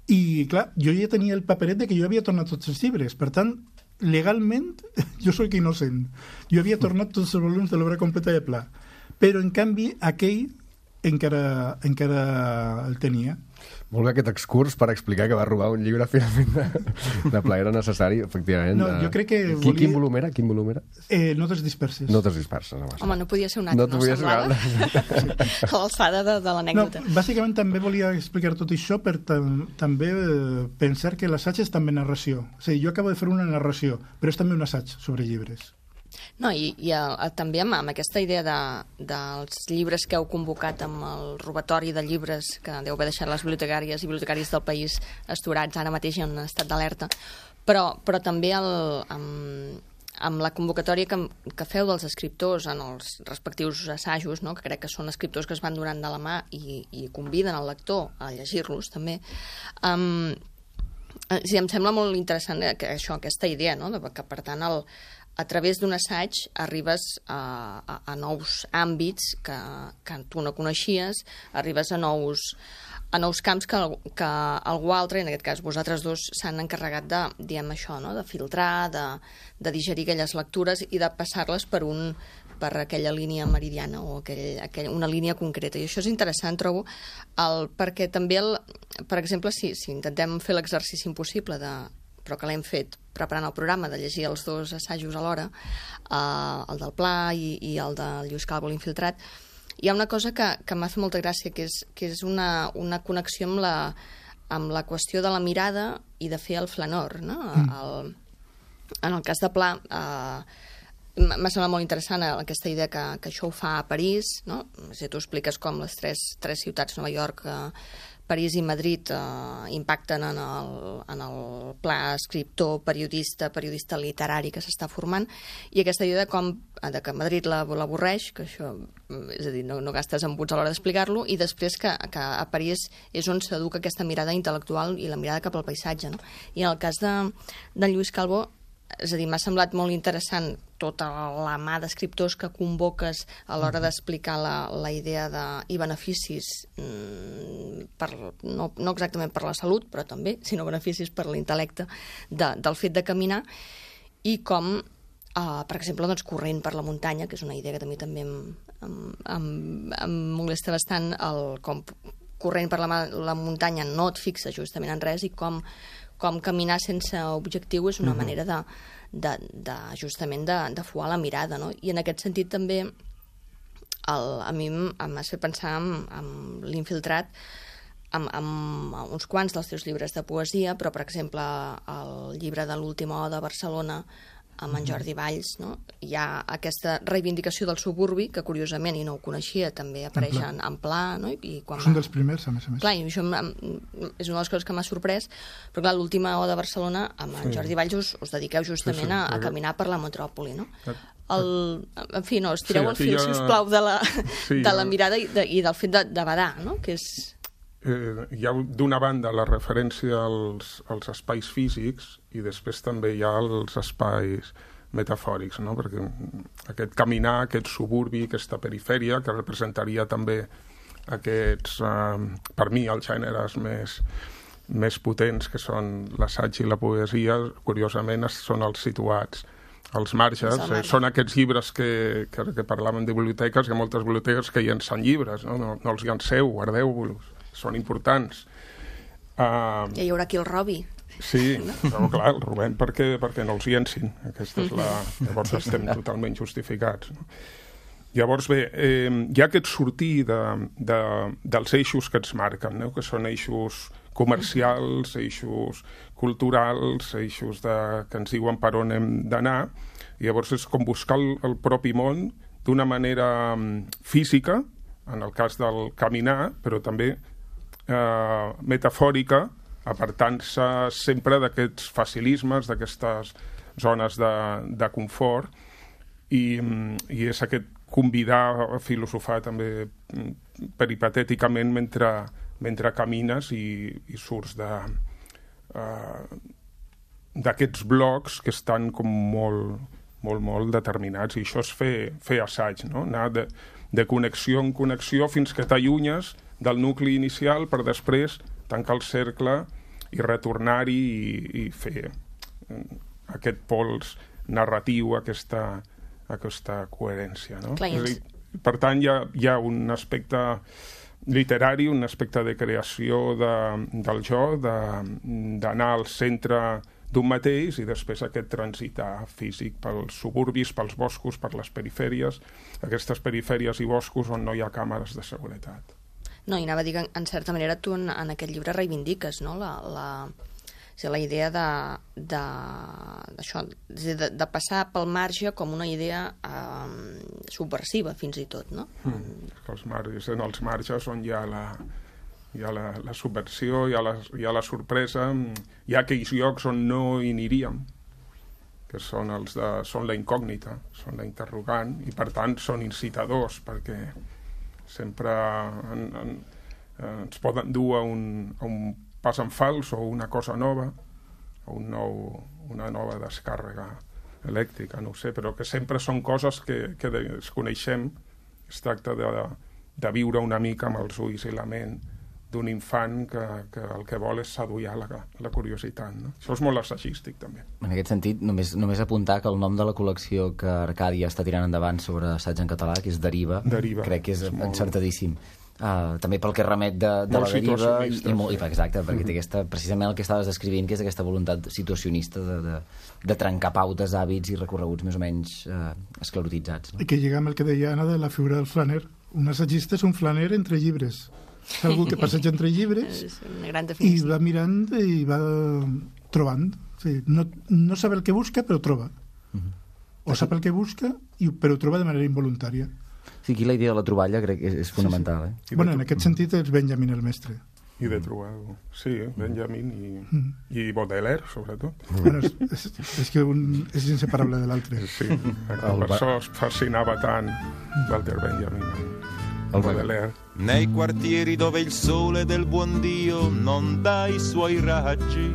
Speaker 4: I, clar, jo ja tenia el paperet de que jo havia tornat tots els llibres. Per tant, legalment, jo soc innocent. Jo havia tornat tots els volums de l'obra completa de Pla. Però, en canvi, aquell encara, encara el tenia.
Speaker 1: Molt bé aquest excurs per explicar que va robar un llibre finalment de, de Pla. Era necessari, efectivament.
Speaker 4: No, jo crec que
Speaker 1: Quin,
Speaker 4: volia...
Speaker 1: quin volum era? Quin volum era?
Speaker 4: Eh, notes disperses.
Speaker 1: Notes disperses. No,
Speaker 7: Home, no podia ser un altre,
Speaker 1: no,
Speaker 7: no,
Speaker 1: podia
Speaker 7: semblava?
Speaker 1: Ser
Speaker 7: a l'alçada de, de l'anècdota.
Speaker 4: No, bàsicament també volia explicar tot això per tam també eh, pensar que l'assaig és també narració. O sigui, jo acabo de fer una narració, però és també un assaig sobre llibres.
Speaker 7: No, i, i el, també amb, amb aquesta idea de, dels llibres que heu convocat amb el robatori de llibres que deu haver deixat les bibliotecàries i bibliotecaris del país esturats ara mateix en estat d'alerta, però, però també el, amb, amb la convocatòria que, que feu dels escriptors en els respectius assajos, no? Que crec que són escriptors que es van donant de la mà i, i conviden el lector a llegir-los també. Um, sí, em sembla molt interessant que això, aquesta idea, no? De, que per tant el a través d'un assaig arribes a, a, a nous àmbits que, que tu no coneixies, arribes a nous, a nous camps que, que algú altre, en aquest cas vosaltres dos, s'han encarregat de, diem això, no? De filtrar, de, de digerir aquelles lectures i de passar-les per, un, per aquella línia meridiana o aquell, aquell, una línia concreta. I això és interessant, trobo, el, perquè també, el, per exemple, si, si intentem fer l'exercici impossible de però que l'hem fet preparant el programa de llegir els dos assajos alhora, eh, el del Pla i, i el del Lluís Calvo, l'Infiltrat, hi ha una cosa que, que m'ha fet molta gràcia, que és, que és una, una connexió amb la, amb la qüestió de la mirada i de fer el flanor. No? Mm. El, en el cas de Pla, eh, m'ha semblat molt interessant aquesta idea que, que això ho fa a París, no? Si tu expliques com les tres, tres ciutats, Nova York, eh, París i Madrid, eh, impacten en el, en el pla escriptor, periodista, periodista literari que s'està formant, i aquesta idea de com de que Madrid l'avorreix, que això, és a dir, no, no gastes embuts a l'hora d'explicar-lo, i després que, que a París és on s'educa aquesta mirada intel·lectual i la mirada cap al paisatge, no? I en el cas de, de Lluís Calvo, és a dir, m'ha semblat molt interessant tota la mà d'escriptors que convoques a l'hora d'explicar la, la idea de, i beneficis, mm, per, no, no exactament per la salut, però també, sinó beneficis per l'intel·lecte de, del fet de caminar, i com, eh, per exemple, doncs, corrent per la muntanya, que és una idea que també també em, em, em, em molesta bastant, el, com corrent per la, la muntanya no et fixa justament en res, i com com caminar sense objectiu és una uh-huh. manera de, de, de justament de, de fuar la mirada, no? I en aquest sentit també el, a mi m'ha fet pensar en, en l'Infiltrat, amb, amb uns quants dels teus llibres de poesia, però per exemple el llibre de l'Última O de Barcelona amb en Jordi Valls, no? Hi ha aquesta reivindicació del suburbi, que curiosament, i no ho coneixia, també apareix en, en Pla, no? I quan
Speaker 4: són
Speaker 7: va...
Speaker 4: dels primers, a més a més.
Speaker 7: Clar, i això és una de les coses que m'ha sorprès, però clar, l'Última O de Barcelona, amb en sí. Jordi Valls us, us dediqueu justament sí, sí, a, a caminar per la metròpoli, no? El, en fi, no, estireu sí, el fil, ha... si us plau, de la, sí, de la mirada i, de, i del fet de, de badar, no? Que és...
Speaker 5: Eh, hi ha d'una banda la referència als, als espais físics i després també hi ha els espais metafòrics, no? Perquè aquest caminar, aquest suburbi, aquesta perifèria, que representaria també aquests, eh, per mi, els gèneres més, més potents, que són l'assaig i la poesia, curiosament són els situats als marges. Eh, són aquests llibres que, que, que parlàvem de biblioteques, que moltes biblioteques que llencen llibres, no, no, no els llanceu, guardeu-los, són importants. Uh,
Speaker 7: I hi haurà qui el robi.
Speaker 5: Sí, però clar, el robem perquè, perquè no els llencin. Aquesta és la... Llavors estem totalment justificats. No? Llavors, bé, eh, hi ha aquest sortir de, de, dels eixos que ens marquen, no? Que són eixos comercials, eixos culturals, eixos de, que ens diuen per on hem d'anar. I llavors és com buscar el, el propi món d'una manera física, en el cas del caminar, però també eh, metafòrica, apartant-se sempre d'aquests facilismes, d'aquestes zones de, de confort, i, i és aquest convidar a filosofar també peripatèticament mentre, mentre camines i, i surts de, uh, d'aquests blocs que estan com molt, molt, molt determinats, i això és fer, fer assaig, no? Anar de, de connexió en connexió fins que t'allunyes del nucli inicial per després tancar el cercle i retornar-hi i, i fer aquest pols narratiu, aquesta, aquesta coherència, no?
Speaker 7: Clar,
Speaker 5: és a dir, per tant, hi ha, hi ha un aspecte literari, un aspecte de creació de, del jo, d'anar al centre d'un mateix i després aquest transitar físic pels suburbis, pels boscos, per les perifèries, aquestes perifèries i boscos on no hi ha càmeres de seguretat.
Speaker 7: No, i anava a dir que, en certa manera, tu en, en aquest llibre reivindiques, no?, la, la, o sigui, la idea de, de, d'això, de, de passar pel marge com una idea eh, subversiva, fins i tot, no?
Speaker 5: Mm. Els marges, en els marges on hi ha la, hi ha la, la subversió, hi ha la, hi ha la sorpresa, hi ha aquells llocs on no hi aniríem, que són, els de, són la incògnita, són la interrogant, i per tant són incitadors, perquè sempre en, en, ens poden dur a un, a un pas en fals o una cosa nova, o un nou, una nova descàrrega elèctrica, no ho sé, però que sempre són coses que, que desconeixem. Es tracta de, de viure una mica amb els ulls i la ment d'un infant que, que el que vol és seduir la, la curiositat, no? Això és molt assagístic, també.
Speaker 6: En aquest sentit, només, només apuntar que el nom de la col·lecció que Arcàdia està tirant endavant sobre assaig en català, que és Deriva,
Speaker 5: Deriva.
Speaker 6: Crec que és,
Speaker 5: és molt...
Speaker 6: encertadíssim. Uh, també pel que remet de, de la deriva i, i, molt, i exacte, perquè té aquesta, precisament el que estaves descrivint, que és aquesta voluntat situacionista de, de, de trencar pautes, hàbits i recorreguts més o menys uh, esclerotitzats, no?
Speaker 4: I que lliga amb el que deia Anna de la figura del flaner. Un assagista és un flaner entre llibres, és algú que passeja entre llibres i va mirant i va trobant, o sigui, no, no sap el que busca però troba, uh-huh. o sap el que busca i, però ho troba de manera involuntària.
Speaker 6: Sí, aquí la idea de la troballa crec que és, és fonamental. Sí, sí.
Speaker 4: Eh? Bueno, en aquest sentit és Benjamin el mestre.
Speaker 5: I de trobar-ho. Sí, Benjamin i, mm. i Baudelaire, sobretot.
Speaker 4: Bueno, és, és, és que un és inseparable de l'altre.
Speaker 5: Sí, per això es fascinava tant Walter Benjamin, el Baudelaire.
Speaker 3: Nei quartieri dove il sole del buon Dio non dà i suoi raggi,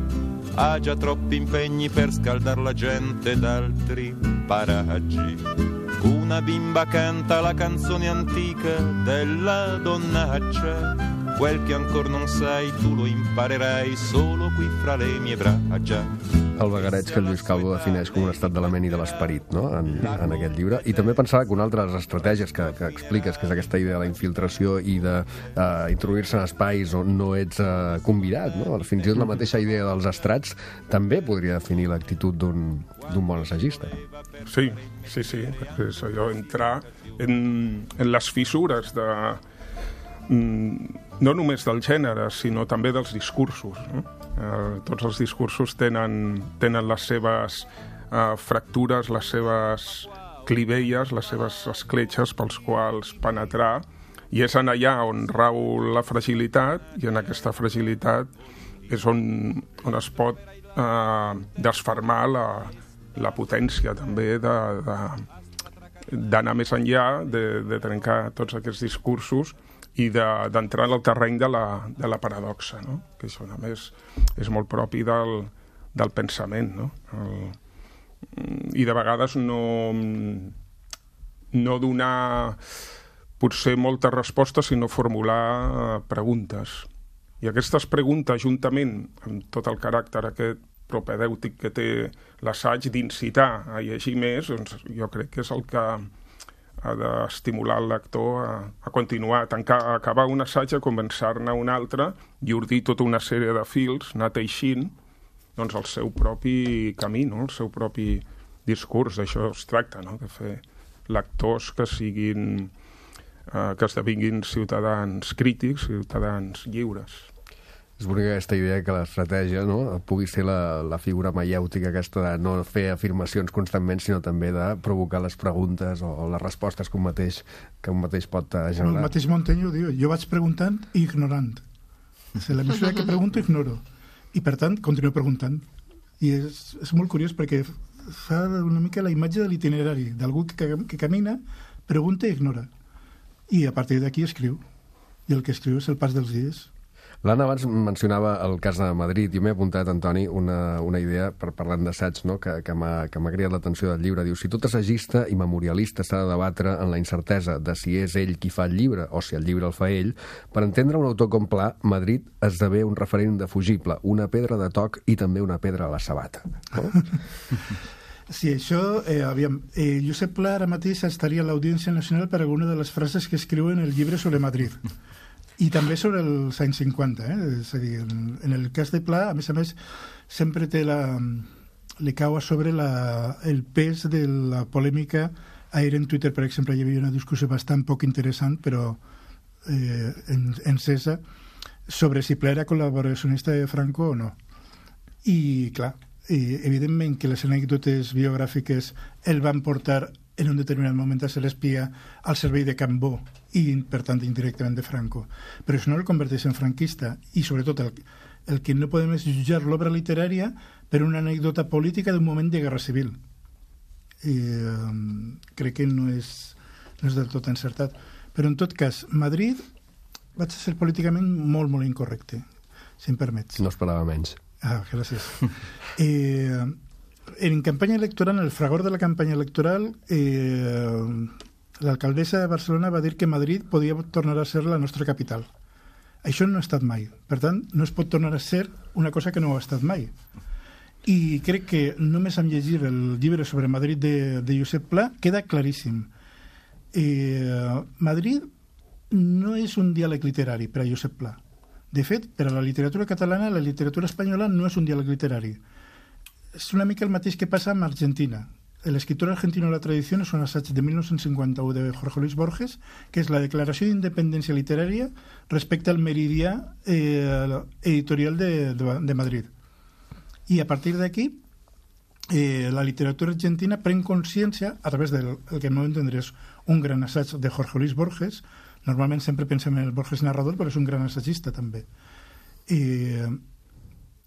Speaker 3: ha già troppi impegni per scaldar la gente d'altri paraggi. Una bimba canta la canzone antica della donnaccia, quel che ancora non sai tu lo imparerai solo qui fra le mie braccia.
Speaker 1: El vagareig que el Lluís Calvo defineix com un estat de la ment i de l'esperit, no?, en, en aquest llibre. I també pensava que una altra de les estratègies que, que expliques, que és aquesta idea de la infiltració i d'introduir-se uh, en espais on no ets uh, convidat, no?, fins i tot la mateixa idea dels estrats també podria definir l'actitud d'un d'un bon assagista.
Speaker 5: Sí, sí, sí, és allò, entrar en, en les fissures de, no només del gènere, sinó també dels discursos, no? Eh, tots els discursos tenen, tenen les seves eh, fractures, les seves clivelles, les seves escletxes pels quals penetrar, i és en allà on rau la fragilitat, i en aquesta fragilitat és on, on es pot eh, desfermar la, la potència també de, de, d'anar més enllà, de, de trencar tots aquests discursos i d'entrar de, en el terreny de la, de la paradoxa, no? Que això a més és molt propi del, del pensament, no? El, i de vegades no, no donar potser moltes respostes, sinó formular preguntes. I aquestes preguntes, juntament amb tot el caràcter aquest propedèutic que té l'assaig d'incitar a llegir més, doncs jo crec que és el que ha d'estimular el lector a, a continuar, a, tancar, a acabar un assaig, a començar-ne un altre i ordir tota una sèrie de fils, anar teixint doncs, el seu propi camí, no? El seu propi discurs. D'això es tracta, no? De fer lectors que siguin, eh, que esdevinguin ciutadans crítics, ciutadans lliures.
Speaker 1: És bonica aquesta idea que l'estratègia, no?, pugui ser la, la figura maièutica aquesta de no fer afirmacions constantment, sinó també de provocar les preguntes o, o les respostes que un mateix, que un mateix pot generar.
Speaker 4: El mateix Montaigne ho diu, jo vaig preguntant i ignorant. És la mesura que pregunto, ignoro. I per tant, continuo preguntant. I és, és molt curiós perquè fa una mica la imatge de l'itinerari, d'algú que, que camina, pregunta i ignora. I a partir d'aquí escriu. I el que escriu és el pas dels dies.
Speaker 1: L'Anna abans mencionava el cas de Madrid. Jo m'he apuntat, Antoni, una, una idea per parlant d'assaig, no? que, que m'ha que m'ha cridat l'atenció del llibre. Diu, si tot assagista i memorialista s'ha de debatre en la incertesa de si és ell qui fa el llibre o si el llibre el fa ell, per entendre un autor com Pla, Madrid esdevé un referent indefugible, una pedra de toc i també una pedra a la sabata. No?
Speaker 4: Sí, això, eh, aviam, eh, Josep Pla ara mateix estaria a l'Audiència Nacional per alguna de les frases que escriu en el llibre sobre Madrid. I també sobre els anys cinquanta. Eh? És a dir, en, en el cas de Pla, a més a més, sempre té la, li cau a sobre la, el pes de la polèmica. Ahir en Twitter, per exemple, hi havia una discussió bastant poc interessant, però eh, en, encesa, sobre si Pla era col·laboracionista de Franco o no. I, clar, i evidentment que les anècdotes biogràfiques el van portar en un determinat moment a ser espia al servei de Cambó i, per tant, indirectament de Franco. Però això no el converteix en franquista i, sobretot, el, el que no podem és jutjar l'obra literària per una anècdota política d'un moment de guerra civil. I, eh, crec que no és, no és del tot encertat. Però, en tot cas, Madrid vaig ser políticament molt, molt incorrecte, si em permets.
Speaker 1: No esperava menys.
Speaker 4: Ah, gràcies. Eh, en campanya electoral, en el fragor de la campanya electoral, eh, l'alcaldessa de Barcelona va dir que Madrid podia tornar a ser la nostra capital. Això no ha estat mai. Per tant, no es pot tornar a ser una cosa que no ha estat mai. I crec que només amb llegir el llibre sobre Madrid de, de Josep Pla queda claríssim. Eh, Madrid no és un diàleg literari per a Josep Pla. De fet, per a la literatura catalana, la literatura espanyola no és un diàleg literari. És una mica el mateix que passa amb Argentina. L'escriptor argentino de la tradició és un assaig de mil nou-cents cinquanta-u de Jorge Luis Borges, que és la declaració d'independència literària respecte al meridià eh, editorial de, de, de Madrid. I a partir d'aquí, eh, la literatura argentina pren consciència, a través del que al meu entendre és un gran assaig de Jorge Luis Borges. Normalment sempre pensem en el Borges narrador, però és un gran assagista també. Eh,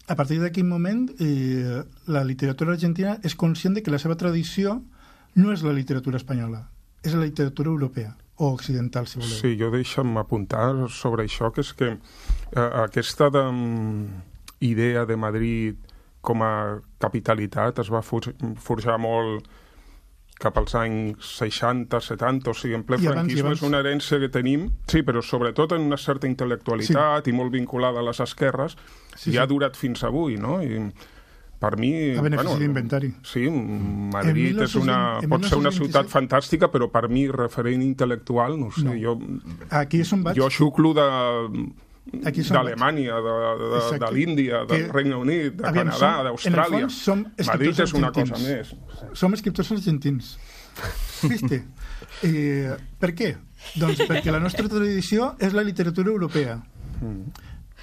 Speaker 4: a partir d'aquell moment, eh, la literatura argentina és conscient de que la seva tradició no és la literatura espanyola, és la literatura europea o occidental, si voleu.
Speaker 5: Sí, jo deixa'm apuntar sobre això, que és que eh, aquesta de, idea de Madrid com a capitalitat es va forjar molt cap als anys seixanta, setanta, o sigui, en ple franquisme és una herència que tenim, sí, però sobretot en una certa intel·lectualitat sí. i molt vinculada a les esquerres, sí, i ha sí. durat fins avui, no? I per mi...
Speaker 4: A benefici bueno, d'inventari.
Speaker 5: Sí, Madrid és una, pot ser una ciutat fantàstica, però per mi, referent intel·lectual, no sé, no. jo...
Speaker 4: Aquí és on vaig.
Speaker 5: Jo xuclo de... d'Alemanya, de, de, de l'Índia, del que, Regne Unit, de aviam, Canadà, d'Austràlia. Madrid és una cosa més.
Speaker 4: Som escriptors argentins. Viste? Eh, per què? Doncs perquè la nostra tradició és la literatura europea.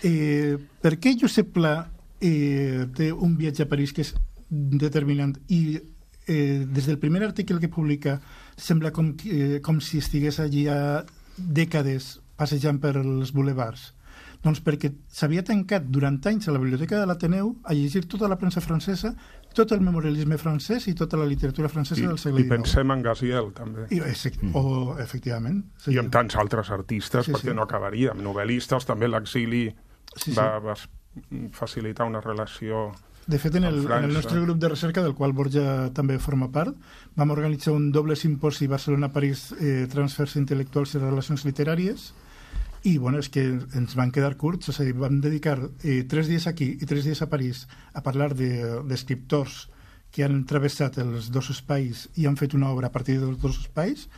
Speaker 4: Eh, per què Josep Pla eh, té un viatge a París que és determinant i eh, des del primer article que publica sembla com, eh, com si estigués allí a dècades passejant per els bulevards? Doncs perquè s'havia tancat durant anys a la biblioteca de l'Ateneu a llegir tota la premsa francesa, tot el memorialisme francès i tota la literatura francesa I, del segle
Speaker 5: dinou. I pensem en Gaziel, també.
Speaker 4: I, o, efectivament. Sí.
Speaker 5: I en tants altres artistes, sí, perquè sí. no acabaríem. Novel·listes, també l'exili sí, sí. va, va facilitar una relació...
Speaker 4: De fet, en el, en el nostre grup de recerca, del qual Borja també forma part, vam organitzar un doble simposi Barcelona-París, eh, transfers intel·lectuals i relacions literàries, i bueno, és que ens van quedar curts, és a dir, vam dedicar eh, tres dies aquí i tres dies a París a parlar d'escriptors de, que han travessat els dos espais i han fet una obra a partir dels dos espais,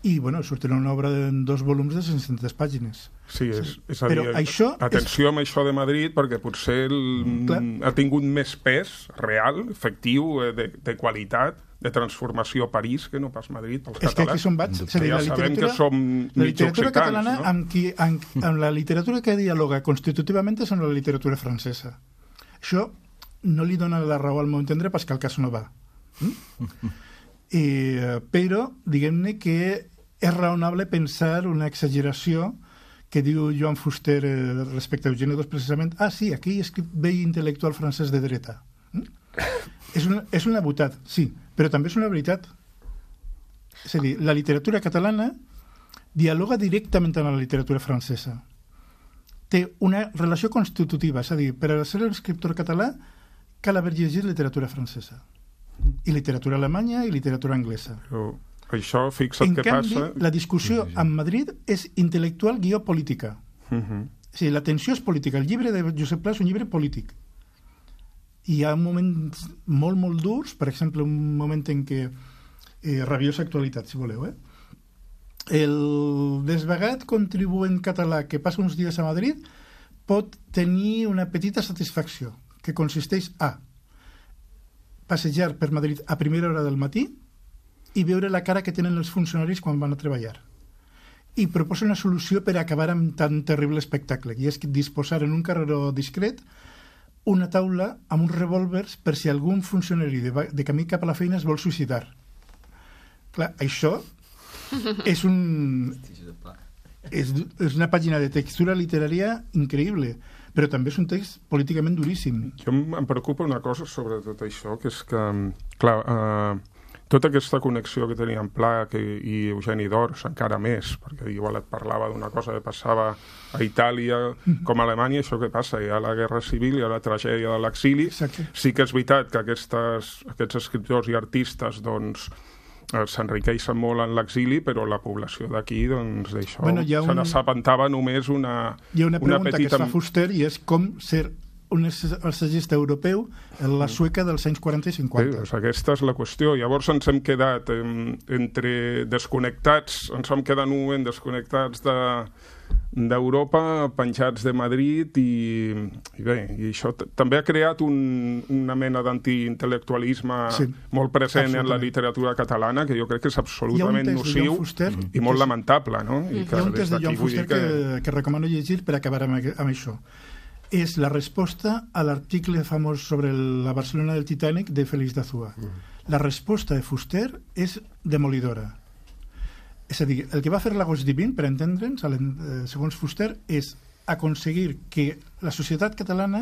Speaker 4: i bueno, sortirà una obra en dos volums de cinc-centes pàgines.
Speaker 5: Sí, és, és a dir, això atenció és... amb això de Madrid, perquè potser el, ha tingut més pes real, efectiu, de, de qualitat, de transformació a París que no pas Madrid pels catalans.
Speaker 4: És que aquí som vaig.
Speaker 5: Ja la sabem que som mig
Speaker 4: literatura catalana
Speaker 5: no?
Speaker 4: amb, qui, amb, amb la literatura que dialoga constitutivament és amb la literatura francesa. Això no li dona la raó al meu entendre, Pascal Casanova. Mm? Eh, però, diguem-ne que és raonable pensar una exageració que diu Joan Fuster eh, respecte a Eugeni dos, precisament, ah, sí, aquí hi ha escrit vell intel·lectual francès de dreta. Mm? és, una, és una botat, sí, però també és una veritat. És a dir, la literatura catalana dialoga directament amb la literatura francesa. té una relació constitutiva, és a dir, per a ser un escriptor català cal haver llegit literatura francesa, i literatura alemanya i literatura anglesa.
Speaker 5: Però això, fixa't
Speaker 4: en
Speaker 5: què
Speaker 4: canvi,
Speaker 5: passa...
Speaker 4: la discussió amb Madrid és intel·lectual guió política.
Speaker 5: Uh -huh.
Speaker 4: O sigui, la tensió és política. El llibre de Josep Pla és un llibre polític. I hi ha moments molt, molt durs, per exemple, un moment en què... Eh, rabiosa actualitat, si voleu, eh? El desvagat contribuent català que passa uns dies a Madrid pot tenir una petita satisfacció, que consisteix a passejar per Madrid a primera hora del matí i veure la cara que tenen els funcionaris quan van a treballar. I proposa una solució per acabar amb tan terrible espectacle, i és disposar en un carreró discret una taula amb uns revòlvers per si algun funcionari de, de camí cap a la feina es vol suïcidar. Clar, això és un... És, és una pàgina de textura literària increïble, però també és un text políticament duríssim.
Speaker 5: Jo em preocupa una cosa sobre tot això, que és que, clar, eh, tota aquesta connexió que tenia en Pla que, i Eugeni d'Ors, encara més, perquè igual et parlava d'una cosa que passava a Itàlia com a Alemanya, això que passa, hi ha la guerra civil, hi ha la tragèdia de l'exili.
Speaker 4: Exacte.
Speaker 5: Sí que és veritat que aquestes, aquests escriptors i artistes, doncs, s'enriqueixen molt en l'exili, però la població d'aquí, doncs, d'això,
Speaker 4: bueno, un...
Speaker 5: se n'assabentava només una,
Speaker 4: hi ha una pregunta
Speaker 5: una petita...
Speaker 4: que es fa Fuster, i és com ser un assagista europeu en la Sueca dels anys quaranta i cinquanta.
Speaker 5: Sí, doncs aquesta és la qüestió. Llavors ens hem quedat en, entre desconnectats, ens hem quedat un moment desconnectats de d'Europa, penjats de Madrid, i, i bé, i això també ha creat un, una mena d'antiintel·lectualisme sí, molt present en la literatura catalana, que jo crec que és absolutament nociu
Speaker 4: Fuster,
Speaker 5: i molt lamentable, no? I que
Speaker 4: hi ha un text de Joan Fuster que... Que, que recomano llegir per acabar amb, amb això. És la resposta a l'article famós sobre la Barcelona del Titanic de Félix d'Azúa. Mm. La resposta de Fuster és demolidora. És a dir, el que va fer l'Agost Divin, per entendre'ns, segons Fuster, és aconseguir que la societat catalana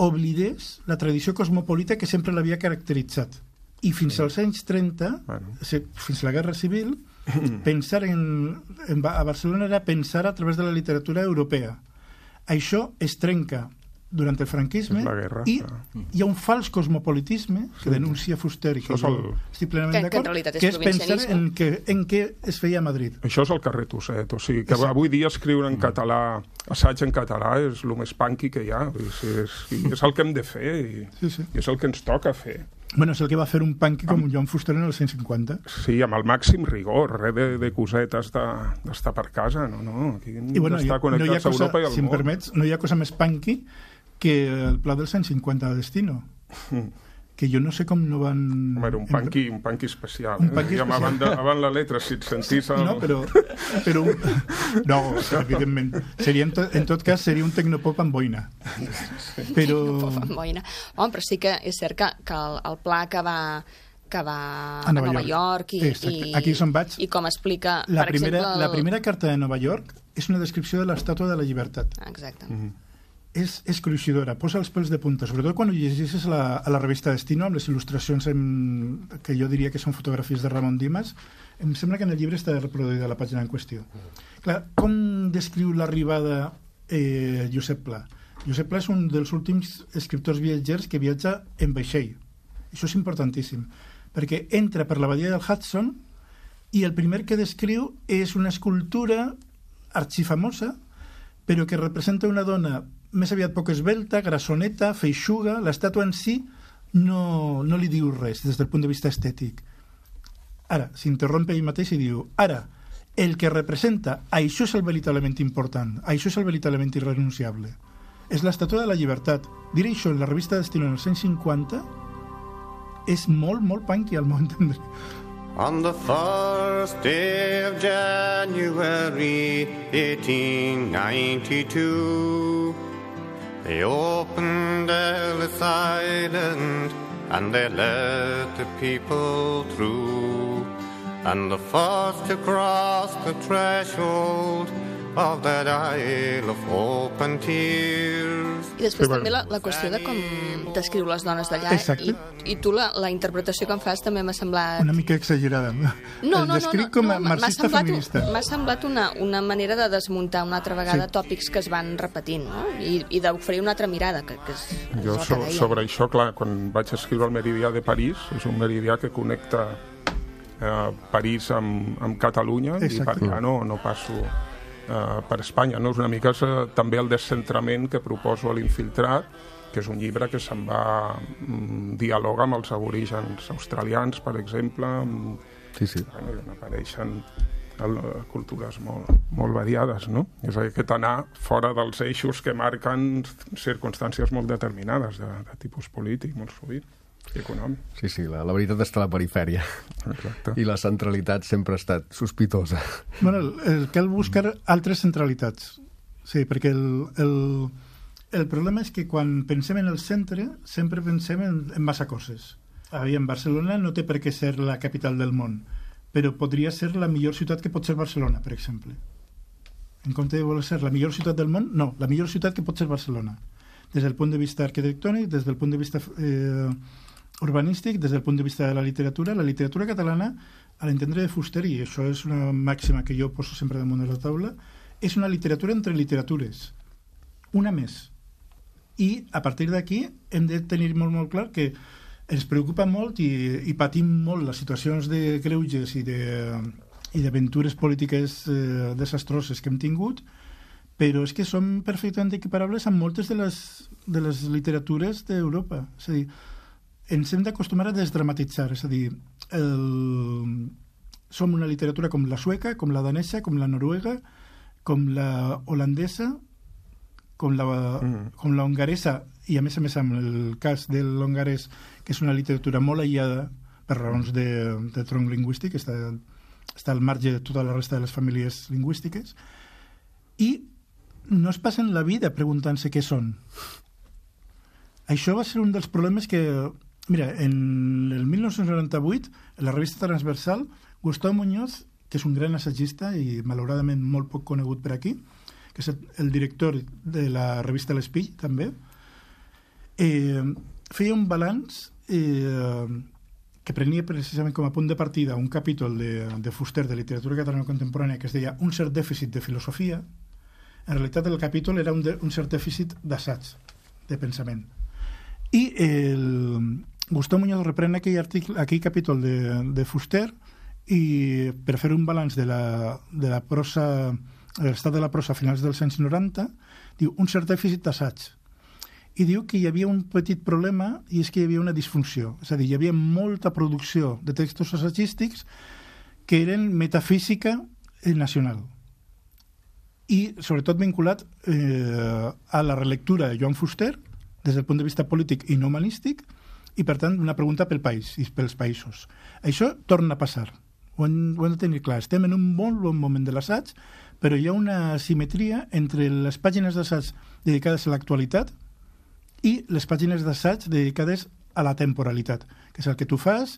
Speaker 4: oblidés la tradició cosmopolita que sempre l'havia caracteritzat. I fins als anys trenta, bueno. fins a la Guerra Civil, pensar en, en, a Barcelona era pensar a través de la literatura europea. Això es trenca durant el franquisme
Speaker 5: guerra,
Speaker 4: i
Speaker 5: clar.
Speaker 4: Hi ha un fals cosmopolitisme que denuncia Fuster i que
Speaker 5: el...
Speaker 4: estic plenament d'acord,
Speaker 7: que,
Speaker 4: que és pensar en, que, en què es feia a Madrid.
Speaker 5: Això és el carrer Tusset, o sigui que Exacte. Avui dia escriure en català, assaig en català, és el més punky que hi ha, és, és, és el que hem de fer i, sí, sí. i és el que ens toca fer.
Speaker 4: Bueno, és el que va fer un punky com amb... Joan Fuster en els cent cinquanta.
Speaker 5: Sí, amb el màxim rigor, res de, de cosetes d'estar per casa, no, no, aquí hem
Speaker 4: bueno,
Speaker 5: d'estar connectats
Speaker 4: no a
Speaker 5: Europa i al
Speaker 4: si
Speaker 5: món.
Speaker 4: Si em permets, no hi ha cosa més punky que el pla dels cent cinquanta de Destino. Mm. Que jo no sé com no van...
Speaker 5: Home, era un punky, un punky especial.
Speaker 4: Un punky
Speaker 5: eh?
Speaker 4: especial.
Speaker 5: Avant, de, avant la letra, si et sentís... El...
Speaker 4: No, però... però un... No, evidentment. Seria, en, to, en tot cas, seria un tecnopop amb boina. Però...
Speaker 7: Tecnopop amb boina. Home, però sí que és cert que, que el, el pla que va que va a,
Speaker 4: a Nova,
Speaker 7: Nova York, York i,
Speaker 4: i, Aquí és on vaig.
Speaker 7: I com explica,
Speaker 4: la
Speaker 7: per
Speaker 4: primera,
Speaker 7: exemple... El...
Speaker 4: La primera carta de Nova York és una descripció de l'Estàtua de la Llibertat.
Speaker 7: Exacte.
Speaker 4: Mm-hmm. És, és cruixidora, posa els pèls de punta, sobretot quan ho llegeixes a la, a la revista Destino, amb les il·lustracions en, que jo diria que són fotografies de Ramon Dimas. Em sembla que en el llibre està reproduïda la pàgina en qüestió. Clar, com descriu l'arribada eh, Josep Pla? Josep Pla és un dels últims escriptors viatgers que viatja en vaixell. Això és importantíssim, perquè entra per la badia del Hudson i el primer que descriu és una escultura arxifamosa, però que representa una dona més aviat poc esvelta, grassoneta, feixuga. L'estàtua en si no, no li diu res des del punt de vista estètic. Ara, s'interrompe ell mateix i diu, ara, el que representa, això és el veritablement important, això és el veritablement irrenunciable. És l'estàtua de la llibertat. Dir això en la revista Destino en els anys cinquanta és molt, molt punky al meu entendre.
Speaker 9: On the first day of January eighteen ninety-two, they opened Ellis Island and they let the people through. And the first to cross the threshold of that Isle of Hope and Tears.
Speaker 7: I després també la, la qüestió de com descriu les dones d'allà.
Speaker 4: Exacte.
Speaker 7: I, i tu la, la interpretació que em fas també m'ha semblat...
Speaker 4: Una mica exagerada.
Speaker 7: No, no,
Speaker 4: El
Speaker 7: no,
Speaker 4: descric
Speaker 7: no,
Speaker 4: com
Speaker 7: no,
Speaker 4: a
Speaker 7: m'ha
Speaker 4: marxista
Speaker 7: semblat,
Speaker 4: feminista.
Speaker 7: M'ha semblat una, una manera de desmuntar una altra vegada
Speaker 4: Sí.
Speaker 7: tòpics que es van repetint, no? I, i d'oferir una altra mirada, que, que és, és
Speaker 5: Jo
Speaker 7: el
Speaker 5: so,
Speaker 7: que deia.
Speaker 5: sobre això, clar, quan vaig escriure el Meridià de París, és un meridià que connecta eh, París amb, amb Catalunya,
Speaker 4: Exacte.
Speaker 5: i per allà no, no passo eh, per Espanya. No? És una mica eh, també el descentrament que proposo a l'Infiltrat, que és un llibre que se'n va mm, dialoga amb els aborígens australians, per exemple, amb,
Speaker 1: Sí, sí.
Speaker 5: bueno, i on apareixen el, cultures molt, molt variades, no? És a dir, aquest anar fora dels eixos que marquen circumstàncies molt determinades de, de tipus polític, molt sovint, i econòmic.
Speaker 1: Sí, sí, la, la veritat està a la perifèria.
Speaker 5: Exacte.
Speaker 1: I la centralitat sempre ha estat sospitosa.
Speaker 4: Bueno, el, el cal buscar altres centralitats. Sí, perquè el, el, el problema és que quan pensem en el centre sempre pensem en, en massa coses. Aviam, Barcelona no té per què ser la capital del món, però podria ser la millor ciutat que pot ser Barcelona, per exemple. En compte de voler ser la millor ciutat del món, no, la millor ciutat que pot ser Barcelona. Des del punt de vista arquitectònic, des del punt de vista eh, urbanístic, des del punt de vista de la literatura. La literatura catalana, a l'entendre de Fuster, i això és una màxima que jo poso sempre damunt de la taula, és una literatura entre literatures. Una més. I a partir d'aquí hem de tenir molt, molt clar que ens preocupa molt i, i patim molt les situacions de greuges i de, i d'aventures polítiques eh, desastroses que hem tingut, però és que som perfectament equiparables amb moltes de les, de les literatures d'Europa. És a dir, ens hem d'acostumar a desdramatitzar, és a dir, el... som una literatura com la sueca, com la danesa, com la noruega, com la holandesa, com la, mm. com la hongaresa, i a més a més amb el cas de l'hongarès, que és una literatura molt aïllada per raons de, de tronc lingüístic, està, està al marge de tota la resta de les famílies lingüístiques, i no es passen la vida preguntant-se què són. Això va ser un dels problemes que... Mira, en el mil nou-cents noranta-vuit, en la revista Transversal, Gustau Muñoz, que és un gran assagista i malauradament molt poc conegut per aquí, que és el director de la revista L'Espill, també, eh, feia un balanç eh, que prenia precisament com a punt de partida un capítol de, de Fuster de literatura catalana contemporània que es deia Un cert dèficit de filosofia. En realitat el capítol era un, de, un cert dèficit d'assaig, de pensament. I el Gustau Muñoz reprèn aquell, article, aquell capítol de, de Fuster i per fer un balanç de la, de la prosa, de l'estat de la prosa a finals dels anys noranta, diu un cert dèficit d'assaig. I diu que hi havia un petit problema i és que hi havia una disfunció. És a dir, hi havia molta producció de textos assagístics que eren metafísica nacional i sobretot vinculat eh, a la relectura de Joan Fuster des del punt de vista polític i no humanístic i per tant una pregunta pel país i pels països. Això torna a passar. Ho hem, ho hem de tenir clar. Estem en un molt bon moment de l'assaig, però hi ha una simetria entre les pàgines d'assaig dedicades a l'actualitat i les pàgines d'assaig dedicades a la temporalitat, que és el que tu fas,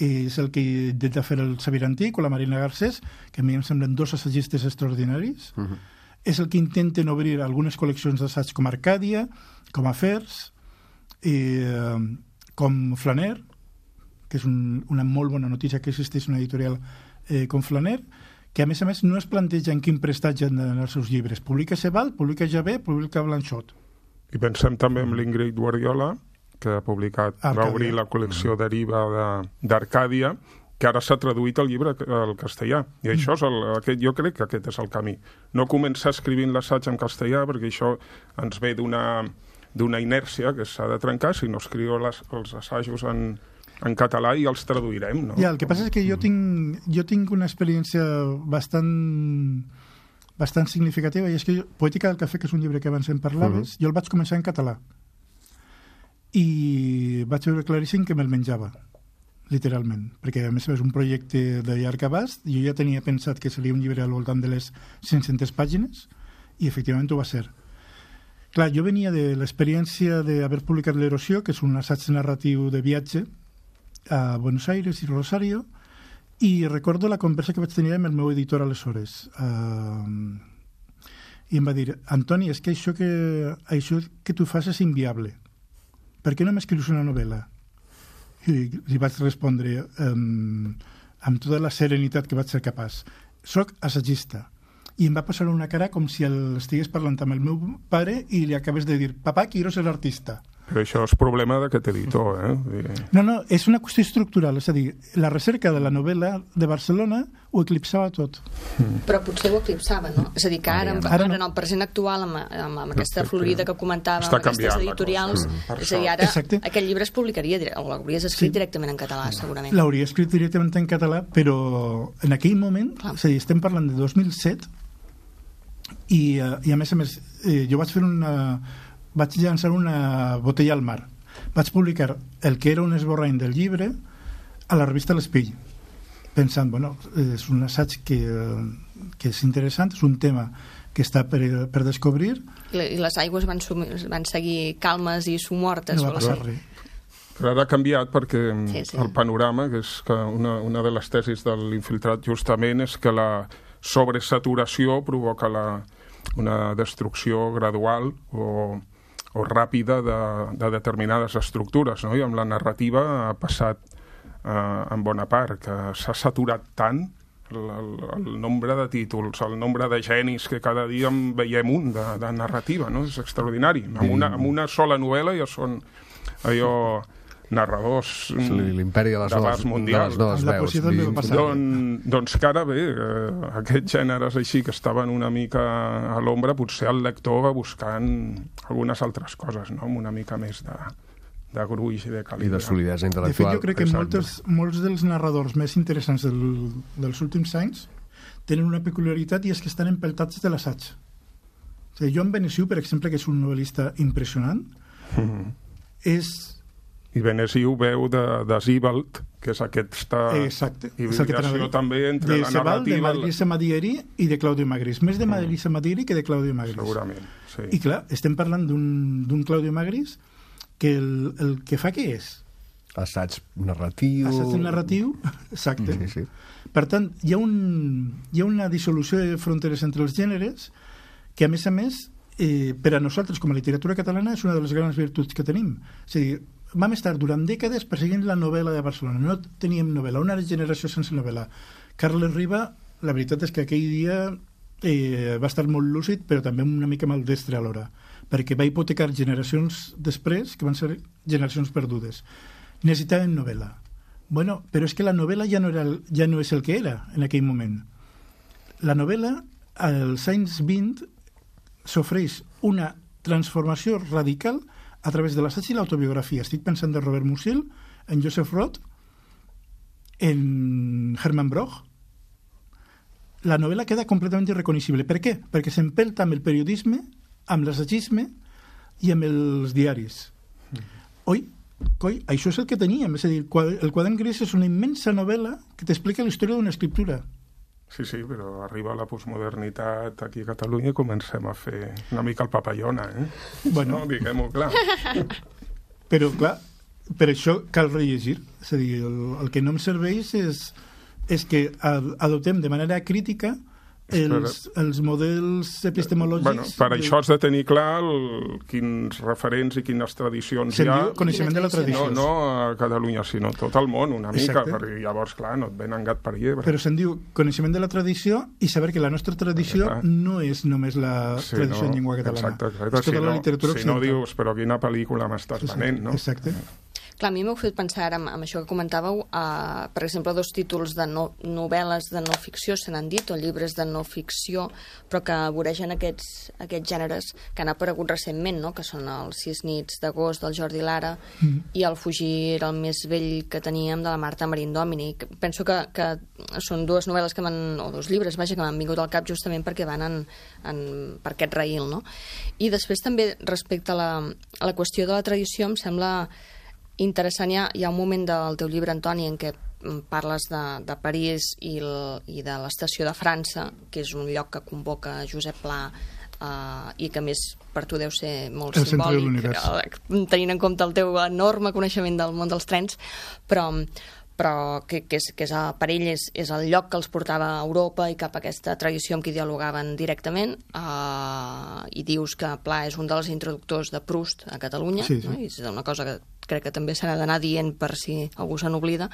Speaker 4: és el que intenta fer el Xavier Antic o la Marina Garcés, que a mi em semblen dos assagistes extraordinaris. Uh-huh. És el que intenten obrir algunes col·leccions d'assaig com Arcàdia, com Afers, eh, com Flaner, que és un, una molt bona notícia que existeix una editorial eh, com Flaner, que a més a més no es planteja en quin prestatge han d'anar els seus llibres. Publica Sebald, publica Javé, publica Blanchot.
Speaker 5: I pensem també en l'Ingrid Guardiola, que ha publicat, Arcàdia. Va obrir la col·lecció Deriva d'Arcàdia, que ara s'ha traduït el llibre al castellà. I això és el, aquest, jo crec que aquest és el camí. No començar escrivint l'assaig en castellà, perquè això ens ve d'una d'una inèrcia que s'ha de trencar, si no escriu les, els assajos en, en català i els traduirem, no?
Speaker 4: Ja, el que passa és que jo tinc, jo tinc una experiència bastant bastant significativa, i és que jo, Poètica del cafè, que és un llibre que abans en parlaves, uh-huh. jo el vaig començar en català. I vaig veure claríssim que me'l menjava, literalment, perquè a més és un projecte de llarg abast. Jo ja tenia pensat que seria un llibre al voltant de les cinc-centes pàgines, i efectivament ho va ser. Clar, jo venia de l'experiència d'haver publicat L'Erosió, que és un assaig narratiu de viatge a Buenos Aires i Rosario, i recordo la conversa que vaig tenir amb el meu editor aleshores, uh, i em va dir, Antoni, és que això que, això que tu fas és inviable. Per què no m'escrius una novel·la? I li vaig respondre um, amb tota la serenitat que vaig ser capaç. Soc assagista. I em va passar una cara com si el estigués parlant amb el meu pare i li acabés de dir, papà, quiero ser artista.
Speaker 5: Però això és problema d'aquest editor, eh?
Speaker 4: No, no, és una qüestió estructural, és a dir, la recerca de la novel·la de Barcelona ho eclipsava tot.
Speaker 7: Però potser ho eclipsava, no? És a dir, que ara, ara, ara no. En el present actual, amb, amb, amb aquesta florida que comentava, amb aquestes editorials, és a dir, ara Exacte. Aquest llibre es publicaria, o l'hauries escrit sí. directament en català, segurament.
Speaker 4: L'hauria escrit directament en català, però en aquell moment, Clar. És a dir, estem parlant de dos mil set, i, i a més a més, eh, jo vaig fer una... vaig llançar una botella al mar. Vaig publicar el que era un esborrany del llibre a la revista L'Espill, pensant, bueno, és un assaig que, que és interessant, és un tema que està per, per descobrir.
Speaker 7: I les aigües van, van seguir calmes i somortes.
Speaker 4: No va passar res.
Speaker 5: Però ara ha canviat perquè
Speaker 7: sí, sí.
Speaker 5: el panorama, que és que una, una de les tesis de l'Infiltrat justament és que la sobresaturació provoca la, una destrucció gradual o o ràpida de, de determinades estructures, no? I amb la narrativa ha passat eh, en bona part, que s'ha saturat tant el, el, el nombre de títols, el nombre de genis, que cada dia en veiem un de, de narrativa, no? És extraordinari. Amb una, amb una sola novel·la ja són allò narradors
Speaker 1: l'imperi de les noves,
Speaker 5: mundials.
Speaker 1: De les noves veus.
Speaker 5: Don, doncs que ara bé, eh, aquests gèneres així que estaven una mica a l'ombra, potser el lector va buscant algunes altres coses, no? Amb una mica més de, de gruix i de calibre.
Speaker 1: I de solidesa intel·lectual.
Speaker 4: De fet, jo crec que moltes, molts dels narradors més interessants del, dels últims anys tenen una peculiaritat i és que estan empeltats de l'assaig. O sigui, Joan Benessiu, per exemple, que és un novel·lista impressionant, mm-hmm. és...
Speaker 5: I Benessiu veu de, de Zibald, que és aquesta
Speaker 4: Exacte.
Speaker 5: hibridació també entre
Speaker 4: de
Speaker 5: la
Speaker 4: Sebald,
Speaker 5: narrativa...
Speaker 4: de Madrisa Madieri i de Claudio Magris. Més de Madrisa Madieri que de Claudio Magris.
Speaker 5: Segurament, sí.
Speaker 4: I clar, estem parlant d'un Claudio Magris que el, el que fa què és?
Speaker 1: Assaig narratiu...
Speaker 4: Assaig narratiu, exacte.
Speaker 1: Sí, sí.
Speaker 4: Per tant, hi ha, un, hi ha una dissolució de fronteres entre els gèneres que, a més a més, eh, per a nosaltres, com a literatura catalana, és una de les grans virtuts que tenim. És a dir, vam estar durant dècades perseguint la novel·la de Barcelona. No teníem novel·la, una generació sense novel·la. Carles Riba, la veritat és que aquell dia eh, va estar molt lúcid, però també una mica maldestre alhora, perquè va hipotecar generacions després, que van ser generacions perdudes. Necessitaven novel·la. Bueno, però és que la novel·la ja no, era, ja no és el que era en aquell moment. La novel·la, als anys vint, s'ofereix una transformació radical a través de l'assaig i l'autobiografia. Estic pensant de Robert Musil, en Joseph Roth, en Hermann Broch. La novel·la queda completament irreconeixible. Per què? Perquè s'empelta amb el periodisme, amb l'assagisme i amb els diaris. Mm. Oi? Coi, això és el que teníem. És a dir, el Quadern Gris és una immensa novel·la que t'explica la història d'una escriptura.
Speaker 5: Sí, sí, però arriba la postmodernitat aquí a Catalunya i comencem a fer una mica el papallona, eh?
Speaker 4: Bueno.
Speaker 5: No, diguem-ho clar.
Speaker 4: Però, clar, per això cal rellegir. És a dir, el, el que no em serveix és, és que adoptem de manera crítica els, els models epistemològics...
Speaker 5: Bueno, per de... això has de tenir clar el, quins referents i quines tradicions
Speaker 4: Se'n
Speaker 5: hi ha.
Speaker 4: diu coneixement de la tradició.
Speaker 5: No, no a Catalunya, sinó tot el món, una mica, Exacte. Perquè llavors, clar, no et venen gat per llebre.
Speaker 4: Però se'n diu coneixement de la tradició i saber que la nostra tradició ah. no és només la sí, tradició
Speaker 5: no,
Speaker 4: en llengua catalana.
Speaker 5: Exacte, exacte.
Speaker 4: És tota
Speaker 5: si
Speaker 4: la
Speaker 5: no,
Speaker 4: literatura
Speaker 5: si no dius, però quina pel·lícula m'estàs venent, no?
Speaker 4: Exacte.
Speaker 7: Clar, a mi m'heu fet pensar ara amb, amb això que comentàveu, uh, per exemple, dos títols de no, novel·les de no ficció, se n'han dit, o llibres de no ficció, però que voregen aquests, aquests gèneres que han aparegut recentment, no? Que són els Sis nits d'agost del Jordi Lara mm. i el Fugir el més vell que teníem de la Marta Marín Domini. Penso que, que són dues novel·les que m'han, o dos llibres, vaja, que m'han vingut al cap justament perquè van en, en, per aquest raïl, no? I després també, respecte a la, a la qüestió de la tradició, em sembla interessant, hi ha, hi ha un moment del teu llibre, Antoni, en què parles de, de París i, el, i de l'estació de França, que és un lloc que convoca Josep Pla eh, i que més per tu deu ser molt
Speaker 4: el
Speaker 7: simbòlic, eh, tenint en compte el teu enorme coneixement del món dels trens, però, però que, que, és, que és a, per ell és, és el lloc que els portava a Europa i cap a aquesta tradició amb qui dialogaven directament, uh, i dius que Pla és un dels introductors de Proust a Catalunya,
Speaker 4: sí, sí.
Speaker 7: No? I és una cosa que crec que també s'ha d'anar dient per si algú se n'oblida.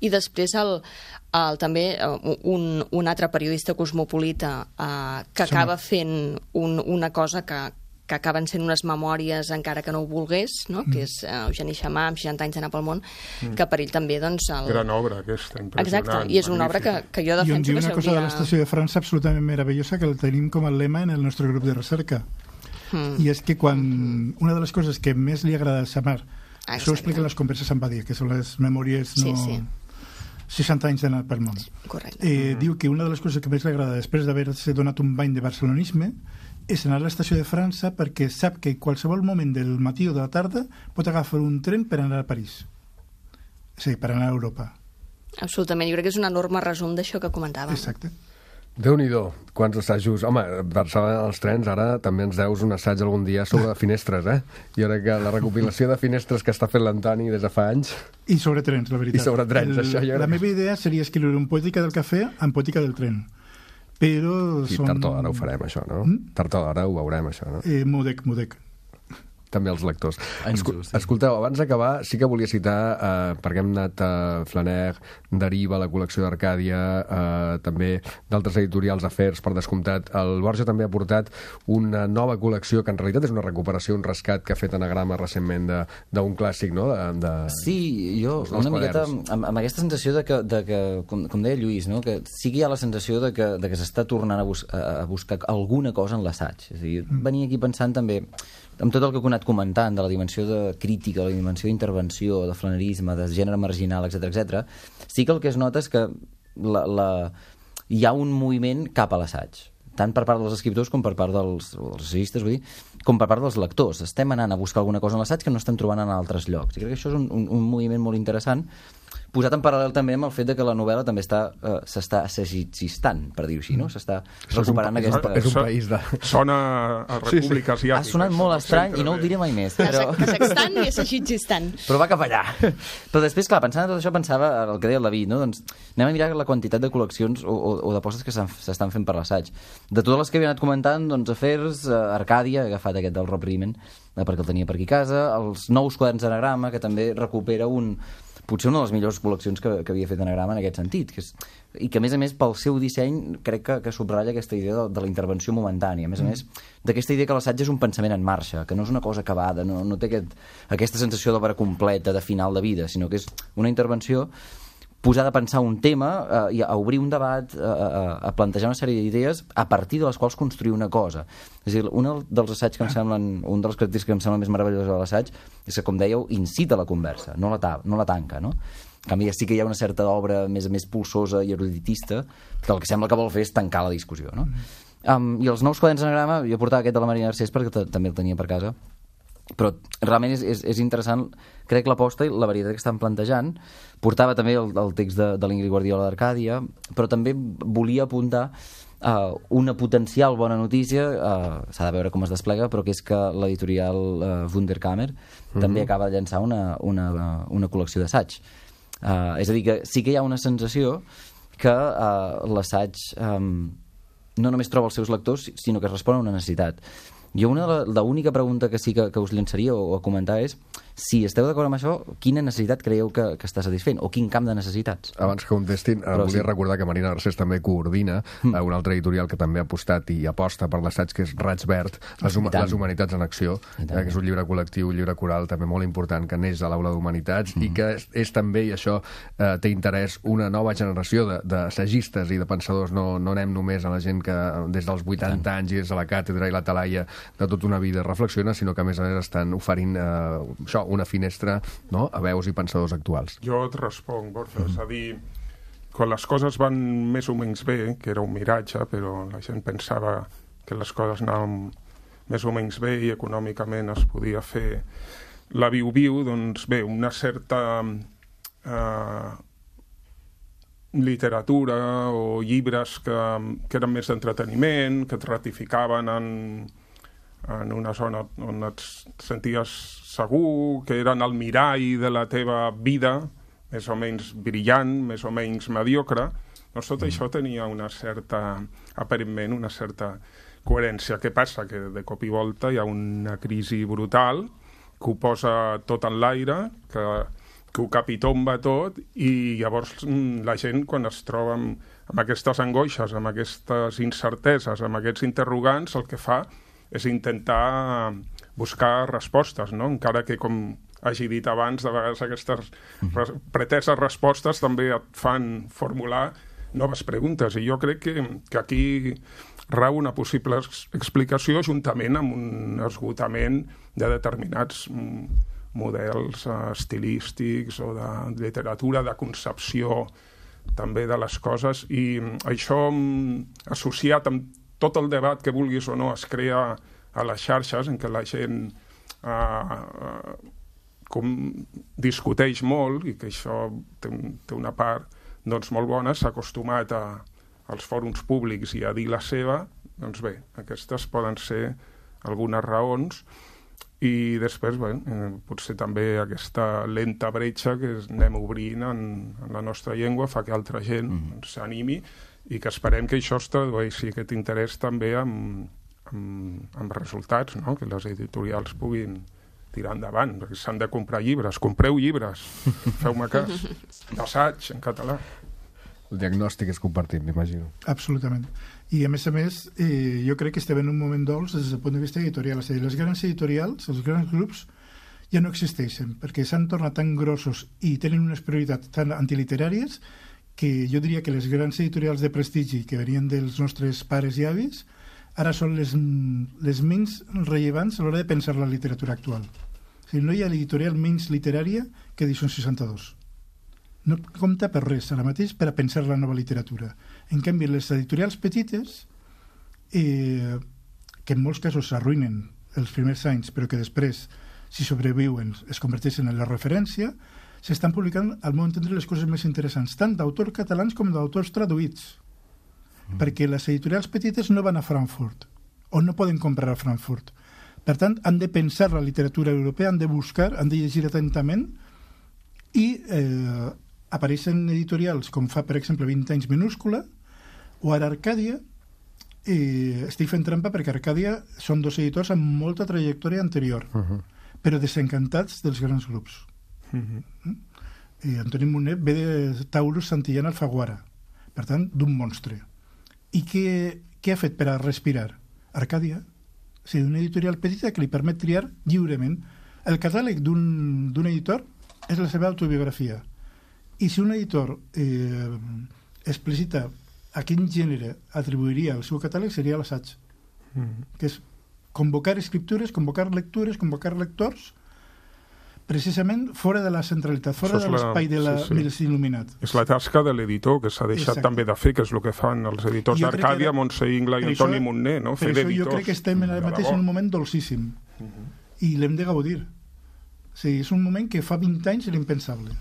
Speaker 7: I després el, el, també un, un altre periodista cosmopolita uh, que acaba fent un, una cosa que que acaben sent unes memòries encara que no ho volgués, no? Mm. que és uh, Eugeni Xamà, amb seixanta anys d'anar pel món, mm. que per ell també, doncs... El...
Speaker 5: Gran obra, aquesta, impressionant.
Speaker 7: Exacte, i és una obra que, que jo defenso que s'hauria...
Speaker 4: I on diu una cosa de l'estació de França absolutament meravellosa que el tenim com a lema en el nostre grup de recerca. Mm. I és que quan... Una de les coses que més li agrada a Xamar, ah, això ho explica en les converses amb Badia, que són les memòries no...
Speaker 7: Sí, sí.
Speaker 4: seixanta anys d'anar pel món.
Speaker 7: Correcte.
Speaker 4: Eh, mm. Diu que una de les coses que més li agrada després d'haver-se donat un bany de barcelonisme és anar a l'estació de França perquè sap que qualsevol moment del matí o de la tarda pot agafar un tren per anar a París. És a dir, per anar a Europa.
Speaker 7: Absolutament, jo crec que és un enorme resum d'això que comentàvem.
Speaker 4: Exacte.
Speaker 1: Déu-n'hi-do, quants assajos. Home, Barcelona als trens, ara també ens deus un assaig algun dia sobre finestres, eh? Jo crec que la recopilació de finestres que està fent l'Antoni des de fa anys...
Speaker 4: I sobre trens, la veritat.
Speaker 1: I sobre trens,
Speaker 4: El,
Speaker 1: això jo...
Speaker 4: La meva idea seria escriure un poètica del cafè amb poètica del tren. Però
Speaker 1: I
Speaker 4: són...
Speaker 1: tard o d'hora ho farem, això, no? Mm? Tard o d'hora ho veurem, això, no?
Speaker 4: Eh, Mudec, Mudec.
Speaker 1: També els lectors. Escu escolteu, abans d'acabar, sí que volia citar, eh, perquè hem anat a Flaner, Deriva, la col·lecció d'Arcàdia, eh, també d'altres editorials, Afers, per descomptat. El Borja també ha portat una nova col·lecció, que en realitat és una recuperació, un rescat que ha fet Anagrama recentment d'un clàssic, no? De, de...
Speaker 6: Sí, jo una miqueta amb, amb aquesta sensació de que, de que com, com deia Lluís, no? Que sí que hi ha la sensació de que, de que s'està tornant a, bus a buscar alguna cosa en l'assaig. És a dir, venia aquí pensant també amb tot el que he anat comentant, de la dimensió de crítica, de la dimensió d'intervenció, de flanerisme, de gènere marginal, etcètera, etcètera, sí que el que es nota és que la, la... hi ha un moviment cap a l'assaig, tant per part dels escriptors com per part dels, dels assajistes, vull dir, com per part dels lectors. Estem anant a buscar alguna cosa en l'assaig que no estem trobant en altres llocs. I crec que això és un, un, un moviment molt interessant, posat en paral·lel també amb el fet de que la novel·la també està uh, s'està assagistant, per dir-ho així, no? S'està recuperant
Speaker 1: és un,
Speaker 6: aquesta...
Speaker 1: És un país de...
Speaker 5: Sona a República sí, sí. Asiàtica.
Speaker 6: Ha sonat molt estrany i no ho diré mai més. Però...
Speaker 7: Kazakhstan i Assagistan.
Speaker 6: Però va cap allà. Però després, clar, pensant en tot això, pensava el que deia el David, no? Doncs anem a mirar la quantitat de col·leccions o, o, o d'apostes que s'estan fent per l'assaig. De totes les que havia anat comentant, doncs Afers, Arcàdia, he agafat aquest del Rob Riemann, perquè el tenia per aquí a casa, els nous quaderns d'Anagrama, que també recupera un... potser una de les millors col·leccions que, que havia fet Anagrama en aquest sentit, que és, i que a més a més pel seu disseny crec que, que subratlla aquesta idea de, de la intervenció momentània, a més a més d'aquesta idea que l'assaig és un pensament en marxa, que no és una cosa acabada, no, no té aquest, aquesta sensació d'obra completa, de final de vida, sinó que és una intervenció posar a pensar un tema eh, i a obrir un debat, eh, a, a plantejar una sèrie d'idees a partir de les quals construir una cosa. És a dir, un dels assaigs que em semblen, un dels característics que em semblen més meravellosos de l'assaig és que, com dèieu, incita la conversa, no la, ta no la tanca, no? En canvi, sí que hi ha una certa obra més més pulsosa i eruditista que el que sembla que vol fer és tancar la discussió, no? Um, I els nous quaderns d'Anagrama, jo portava aquest de la Marina Garcés perquè també el tenia per casa, però realment és, és, és interessant, crec, l'aposta i la varietat que estan plantejant. Portava també el, el text de, de l'Ingrid Guardiola d'Arcàdia, però també volia apuntar uh, una potencial bona notícia, uh, s'ha de veure com es desplega, però que és que l'editorial uh, Wunderkammer uh-huh. també acaba de llançar una, una, una col·lecció d'assaig. Uh, és a dir, que sí que hi ha una sensació que uh, l'assaig um, no només troba els seus lectors, sinó que respon a una necessitat. Jo una, l'única pregunta que sí que, que us llançaria o, o a comentar és si esteu d'acord amb això, quina necessitat creieu que, que està satisfent o quin camp de necessitats?
Speaker 1: Abans que contestin, Però volia sí. recordar que Marina Garcés també coordina mm. un altre editorial que també ha apostat i aposta per l'assaig, que és Raig Verd, les, hum les Humanitats en Acció, eh, que és un llibre col·lectiu, un llibre coral també molt important que neix a l'Aula d'Humanitats mm. i que és, és també, i això eh, té interès, una nova generació d'assagistes i de pensadors. No, no anem només a la gent que des dels vuitanta anys i des de la càtedra i la talaia de tota una vida reflexiona, sinó que a més a més estan oferint eh, això, una finestra, no?, a veus i pensadors actuals.
Speaker 5: Jo et responc, Borja, mm. és a dir, quan les coses van més o menys bé, que era un miratge, però la gent pensava que les coses anaven més o menys bé i econòmicament es podia fer la viu-viu, doncs bé, una certa eh, literatura o llibres que, que eren més d'entreteniment, que et ratificaven en en una zona on et senties segur, que eren el mirall de la teva vida, més o menys brillant, més o menys mediocre, doncs tot això tenia una certa, aparentment, una certa coherència. Què passa? Que de cop i volta hi ha una crisi brutal que ho posa tot en l'aire, que, que ho capitomba tot, i llavors la gent, quan es troba amb, amb aquestes angoixes, amb aquestes incerteses, amb aquests interrogants, el que fa és intentar buscar respostes, no? Encara que, com hagi dit abans, de vegades aquestes res preteses respostes també et fan formular noves preguntes, i jo crec que, que aquí rau una possible explicació juntament amb un esgotament de determinats models estilístics o de literatura, de concepció també de les coses, i això associat amb tot el debat que vulguis o no es crea a les xarxes, en què la gent eh, eh, com discuteix molt, i que això té, té una part doncs, molt bona, s'ha acostumat a, als fòrums públics i a dir la seva, doncs bé, aquestes poden ser algunes raons, i després, bé, eh, potser també aquesta lenta bretxa que anem obrint en, en la nostra llengua fa que altra gent mm. s'animi, i que esperem que això es tradueixi, aquest interès també amb, amb, amb resultats, no? Que les editorials puguin tirar endavant, perquè s'han de comprar llibres. Compreu llibres, feu-me cas. D'assaig, en català.
Speaker 1: El diagnòstic és compartit, m'imagino.
Speaker 4: Absolutament. I, a més a més, eh, jo crec que estem en un moment dolç des del punt de vista editorial. És a dir, les grans editorials, els grans grups, ja no existeixen, perquè s'han tornat tan grossos i tenen unes prioritats tan antiliteràries que jo diria que les grans editorials de prestigi que venien dels nostres pares i avis ara són les, les menys rellevants a l'hora de pensar la literatura actual. O sigui, no hi ha editorial menys literària que Edicions seixanta-dos. No compta per res ara mateix per a pensar la nova literatura. En canvi, les editorials petites, eh, que en molts casos s'arruïnen els primers anys, però que després, si sobreviuen, es converteixen en la referència, s'estan publicant, al meu entendre, les coses més interessants, tant d'autors catalans com d'autors traduïts. Mm. Perquè les editorials petites no van a Frankfurt, o no poden comprar a Frankfurt. Per tant, han de pensar la literatura europea, han de buscar, han de llegir atentament, i eh, apareixen editorials com fa, per exemple, vint anys Minúscula, o ara Arcàdia. Eh, estic fent trampa perquè Arcàdia són dos editors amb molta trajectòria anterior, uh -huh. però desencantats dels grans grups. Uh-huh. I Antoni Monet ve de Taurus Santillana Alfaguara, per tant, d'un monstre. I què, què ha fet per a respirar? Arcàdia. O sigui, una editorial petita que li permet triar lliurement. El catàleg d'un editor és la seva autobiografia. I si un editor eh, explicita a quin gènere atribuiria el seu catàleg, seria l'assaig. Uh-huh. Que és convocar escriptures, convocar lectures, convocar lectors, precisament fora de la centralitat, fora de l'espai de la, sí, sí. dels il·luminats.
Speaker 5: És la tasca de l'editor, que s'ha deixat Exacte. també de fer, que és el que fan els editors d'Arcàdia, Montse Ingla i Antoni Montner, no? Fer d'editors.
Speaker 4: Jo crec que estem ara mateix en un moment dolcíssim, uh -huh. i l'hem de gaudir. O sigui, és un moment que fa vint anys era impensable.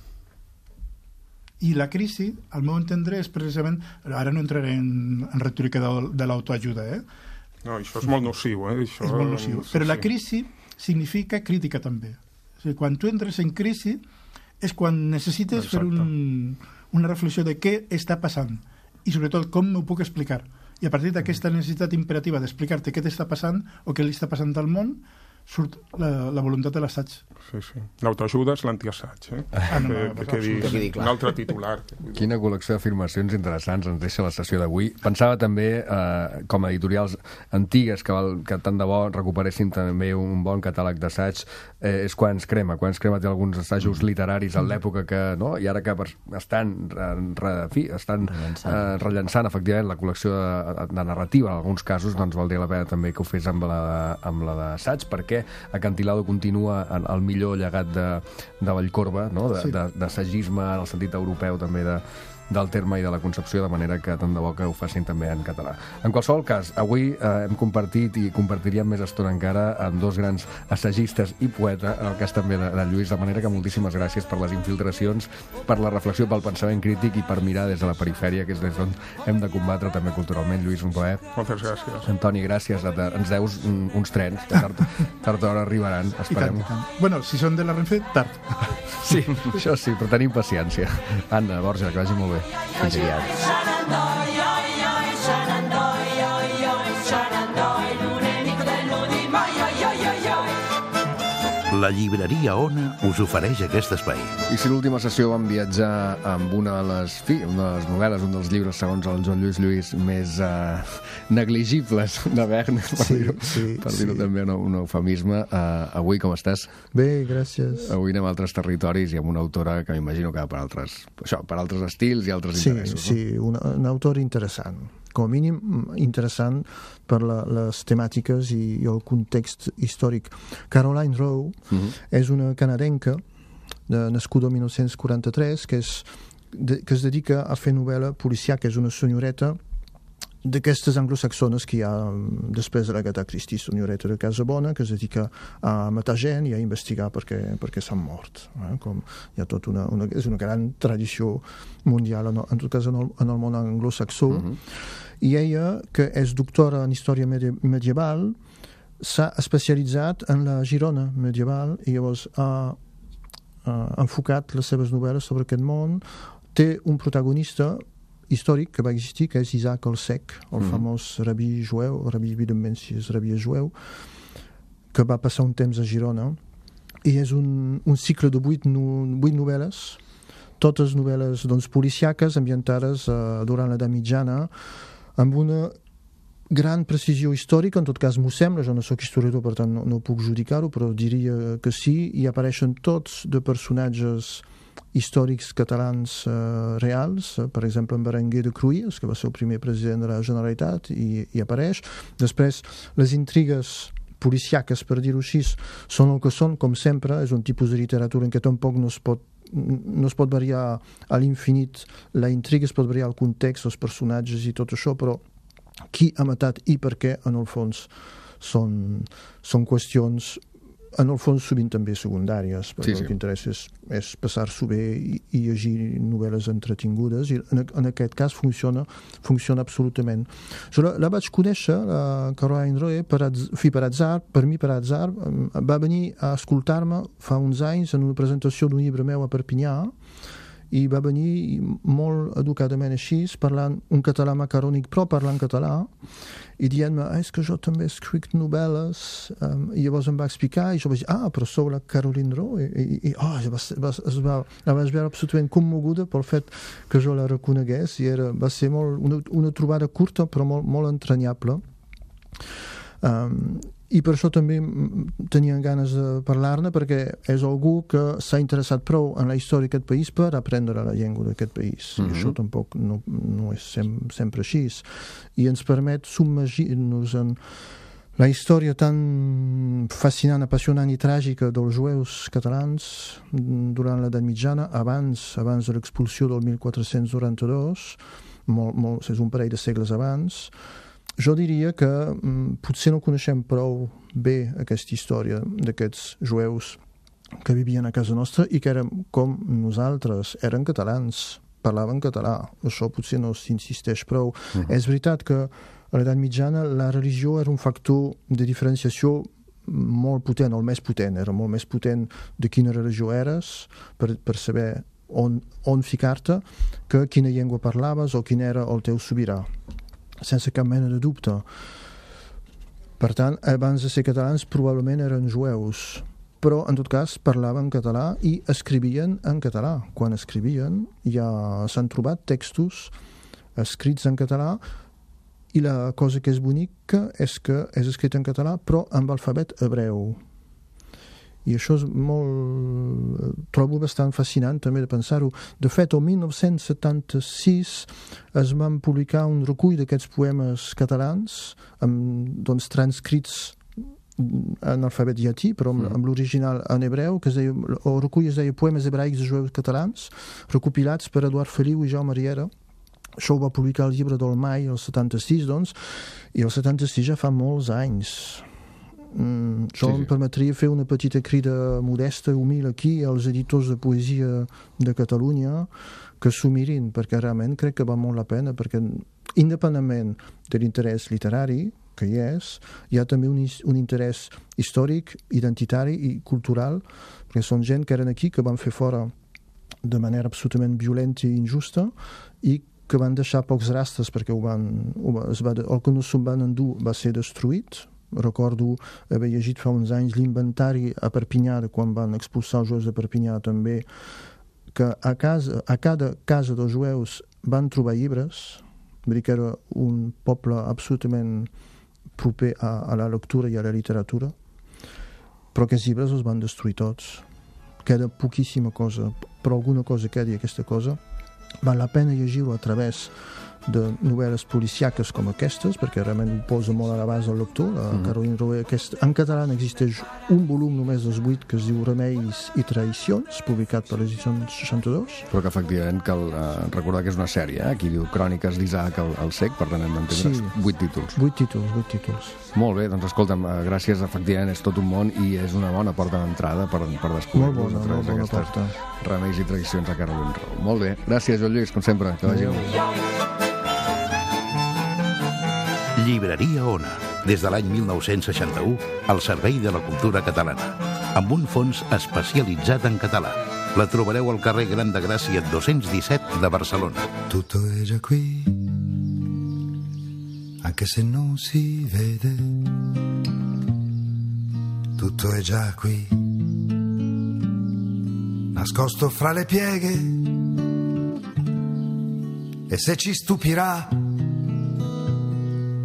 Speaker 4: I la crisi, al meu entendre, és precisament... Ara no entraré en, en retòrica de, de l'autoajuda, eh?
Speaker 5: No, això és molt nociu, eh? Això,
Speaker 4: és molt nociu.
Speaker 5: Sí,
Speaker 4: Però
Speaker 5: sí.
Speaker 4: la crisi significa crítica, també. O sigui, quan tu entres en crisi és quan necessites Exacte. fer un, una reflexió de què està passant i, sobretot, com m'ho puc explicar. I a partir d'aquesta necessitat imperativa d'explicar-te què t'està passant o què li està passant al món, surt la, la voluntat de l'assaig.
Speaker 5: Sí, sí. L'autoajuda és l'antiassaig, eh?
Speaker 4: Ah, no, no,
Speaker 5: que, que, que, que, que un altre titular.
Speaker 1: Quina col·lecció d'afirmacions interessants ens deixa la sessió d'avui. Pensava també, eh, com a editorials antigues, que, val, que tant de bo recuperessin també un bon catàleg d'assaig, eh, és Quants crema. Quants crema té alguns assajos literaris en l'època que, no? I ara que estan, re, fi, estan rellençant. Eh, rellençant, efectivament, la col·lecció de, de narrativa, en alguns casos, doncs valdria la pena també que ho fes amb la, amb la d'assaig, perquè Acantilado continua el millor llegat de, de Vallcorba, no? de, sí. de, d'assagisme en el sentit europeu també de, del terme i de la concepció, de manera que tant de bo que ho facin també en català. En qualsevol cas, avui eh, hem compartit i compartiríem més estona encara amb dos grans assagistes i poeta, en el cas també de, de Lluís, de manera que moltíssimes gràcies per les infiltracions, per la reflexió, pel pensament crític i per mirar des de la perifèria, que és des d'on hem de combatre també culturalment. Lluís, un plaer.
Speaker 5: Moltes gràcies.
Speaker 1: Antoni, gràcies. Ens deus uns trens que tard, tard o d'hora arribaran, esperem.
Speaker 4: I tant, i tant. Bueno, si són de la Renfe, tard.
Speaker 1: Sí, això sí, però tenim paciència. Anna, Borja, que vagi molt bé. Fins aviat.
Speaker 2: La llibreria Ona us ofereix aquest espai.
Speaker 1: I si l'última sessió vam viatjar amb una de les, fi, una de les novel·les, un dels llibres, segons el Joan Lluís Lluís, més uh, negligibles de Verne, per sí, dir-ho sí, per dir-ho sí. també un, un eufemisme. Uh, avui com estàs?
Speaker 10: Bé, gràcies.
Speaker 1: Avui anem a altres territoris i amb una autora que m'imagino que va per altres, això, per altres estils i altres
Speaker 10: sí,
Speaker 1: interessos.
Speaker 10: Sí, no? un, un autor interessant. Com a mínim interessant per la, les temàtiques i, i el context històric. Caroline Rowe uh-huh. és una canadenca de, nascuda el dinou quaranta-tres que, és, de, que es dedica a fer novel·la policiaca. És una senyoreta d'aquestes anglosaxones que hi ha després de l'Agatha Christie, senyoreta de casa bona, que es dedica a matar gent i a investigar perquè, perquè s'han mort. Eh? Com hi ha tot una, una, és una gran tradició mundial, en, en tot cas en el, en el món anglosaxó. Uh-huh. I ella, que és doctora en història medieval, s'ha especialitzat en la Girona medieval i llavors ha, ha enfocat les seves novel·les sobre aquest món. Té un protagonista històric que va existir, que és Isaac el Cec, el mm. famós rabí jueu, rabí evidentment si és rabí jueu, que va passar un temps a Girona, i és un, un cicle de vuit, no, vuit novel·les, totes novel·les doncs, policiaques ambientades eh, durant l'edat mitjana, amb una gran precisió històrica, en tot cas m'ho sembla, jo no sóc historiador, per tant no, no puc judicar-ho, però diria que sí, i apareixen tots de personatges històrics catalans eh, reals, eh, per exemple en Berenguer de Cruïlles, que va ser el primer president de la Generalitat, i, i apareix. Després, les intrigues policiaques, per dir-ho així, són el que són, com sempre, és un tipus de literatura en què tampoc no es pot no es pot variar a l'infinit la intriga, es pot variar el context, els personatges i tot això, però qui ha matat i per què, en el fons, són, són qüestions en el fons sovint també secundàries, perquè sí, sí. el que interessa és, és passar-s'ho bé i, i llegir novel·les entretingudes, i en, en aquest cas funciona, funciona absolutament. Jo la, la vaig conèixer, la Caroline Rowe, per, fi, per atzar, per mi per atzar, va venir a escoltar-me fa uns anys en una presentació d'un llibre meu a Perpinyà, i va venir molt educadament així, parlant un català macarònic, però parlant català, i dient-me, ah, és que jo també escric novel·les, um, i llavors em va explicar, i jo vaig dir, ah, però sou la Caroline Rowe, i, i, i oh, va, va, es va, la vaig veure absolutament commoguda pel fet que jo la reconegués, i era, va ser molt, una, una trobada curta, però molt, molt entranyable. Um, i per això també tenien ganes de parlar-ne, perquè és algú que s'ha interessat prou en la història d'aquest país per aprendre la llengua d'aquest país. Mm-hmm. I això tampoc no, no és sem sempre així. I ens permet submergir-nos en la història tan fascinant, apassionant i tràgica dels jueus catalans durant l'edat mitjana, abans, abans de l'expulsió del mil quatre-cents noranta-dos, molt, molt, és un parell de segles abans. Jo diria que mm, potser no coneixem prou bé aquesta història d'aquests jueus que vivien a casa nostra i que eren com nosaltres, eren catalans, parlaven català. Això potser no s'insisteix prou. Uh-huh. És veritat que a l'edat mitjana la religió era un factor de diferenciació molt potent, el més potent, era molt més potent de quina religió eres per, per saber on, on ficar-te que quina llengua parlaves o quin era el teu sobirà. Sense cap mena de dubte. Per tant, abans de ser catalans probablement eren jueus, però en tot cas parlaven català i escrivien en català. Quan escrivien ja s'han trobat textos escrits en català, i la cosa que és bonica és que és escrit en català però amb alfabet hebreu. I això és molt... trobo bastant fascinant també de pensar-ho. De fet, el mil nou-cents setanta-sis es van publicar un recull d'aquests poemes catalans amb, doncs, transcrits en alfabet llatí, però amb, amb l'original en hebreu, que es deia, el recull es deia Poemes hebraics de jueus catalans, recopilats per Eduard Feliu i Jaume Riera. Això ho va publicar el llibre del Mai el setanta-sis, doncs, i el setanta-sis ja fa molts anys. Mm, això sí, sí. em permetria fer una petita crida modesta, humil aquí, als editors de poesia de Catalunya, que s'ho mirin, perquè realment crec que va molt la pena, perquè independentment de l'interès literari, que hi és, hi ha també un, un interès històric, identitari i cultural, perquè són gent que eren aquí, que van fer fora de manera absolutament violenta i injusta, i que van deixar pocs rastres, perquè ho van, ho va, es va, el que no se'n van endur va ser destruït. Recordo haver llegit fa uns anys l'inventari a Perpinyà, de quan van expulsar els jueus de Perpinyà també, que a, casa, a cada casa dels jueus van trobar llibres, vull dir que era un poble absolutament proper a, a la lectura i a la literatura, però aquests llibres els van destruir tots. Queda poquíssima cosa, però alguna cosa queda, i aquesta cosa val la pena llegir-ho a través de novel·les policiaques com aquestes, perquè realment ho posa molt a l'abast del lector. La mm. Caroline Roé, aquest, en català existeix un volum només dels vuit que es diu Remeis i traïcions, publicat per l'edició seixanta-dos.
Speaker 1: Però que efectivament cal uh, recordar que és una sèrie, eh? Aquí diu Cròniques d'Isaac el, el Cec, per tant hem d'entendre sí. vuit títols.
Speaker 10: Vuit títols, vuit títols.
Speaker 1: Molt bé, doncs escolta'm, uh, gràcies, efectivament és tot un món i és una bona porta d'entrada per, per descobrir
Speaker 10: molt bona, molt bona porta.
Speaker 1: Remeis i traïcions a Caroline Roé. Molt bé, gràcies Joan Lluís, com sempre, que vagi bé.
Speaker 2: Llibreria Ona, des de l'any mil nou-cents seixanta-u, al servei de la cultura catalana, amb un fons especialitzat en català. La trobareu al carrer Gran de Gràcia dos-cents disset de Barcelona.
Speaker 11: Tutto è già qui, anche se non si vede. Tutto è già qui, nascosto fra le pieghe. E se ci stupirà,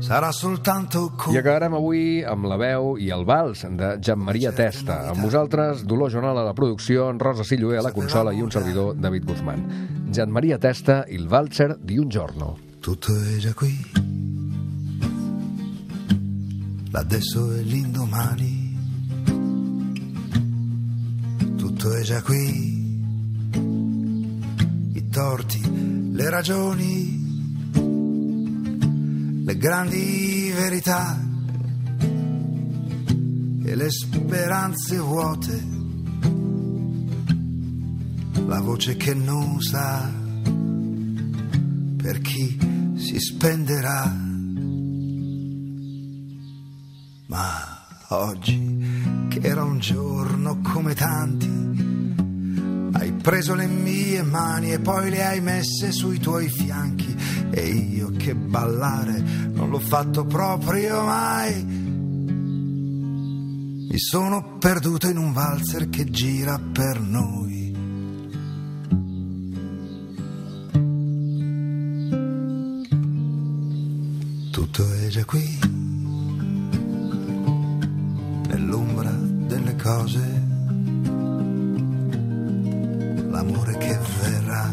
Speaker 11: sarà soltanto con...
Speaker 1: I acabarem avui amb la veu i el vals de Gianmaria Testa. Amb vosaltres, Dolors Jonal a la producció, Rosa Silloé a la consola i un servidor, David Guzmán. Gianmaria Testa, il valzer di un giorno.
Speaker 11: Tutto è già qui, l'adesso e l'indomani. Tutto è già qui, i torti, le ragioni, le grandi verità e le speranze vuote, la voce che non sa per chi si spenderà. Ma oggi, che era un giorno come tanti, hai preso le mie mani e poi le hai messe sui tuoi fianchi, e io che ballare non l'ho fatto proprio mai. Mi sono perduto in un valzer che gira per noi. Tutto è già qui, nell'ombra delle cose, l'amore che verrà,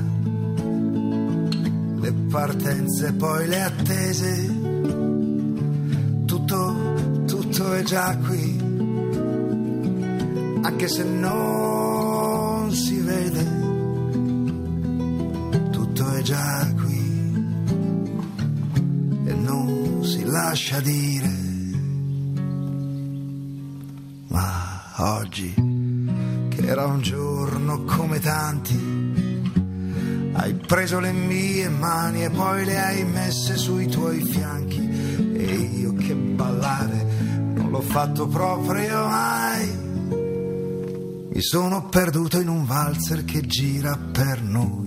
Speaker 11: le partenze poi le attese, tutto, tutto è già qui, anche se non si vede, tutto è già qui e non si lascia dire. Ma oggi, che era un giorno come tanti, hai preso le mie mani e poi le hai messe sui tuoi fianchi, e io che ballare non l'ho fatto proprio mai. Mi sono perduto in un valzer che gira per noi.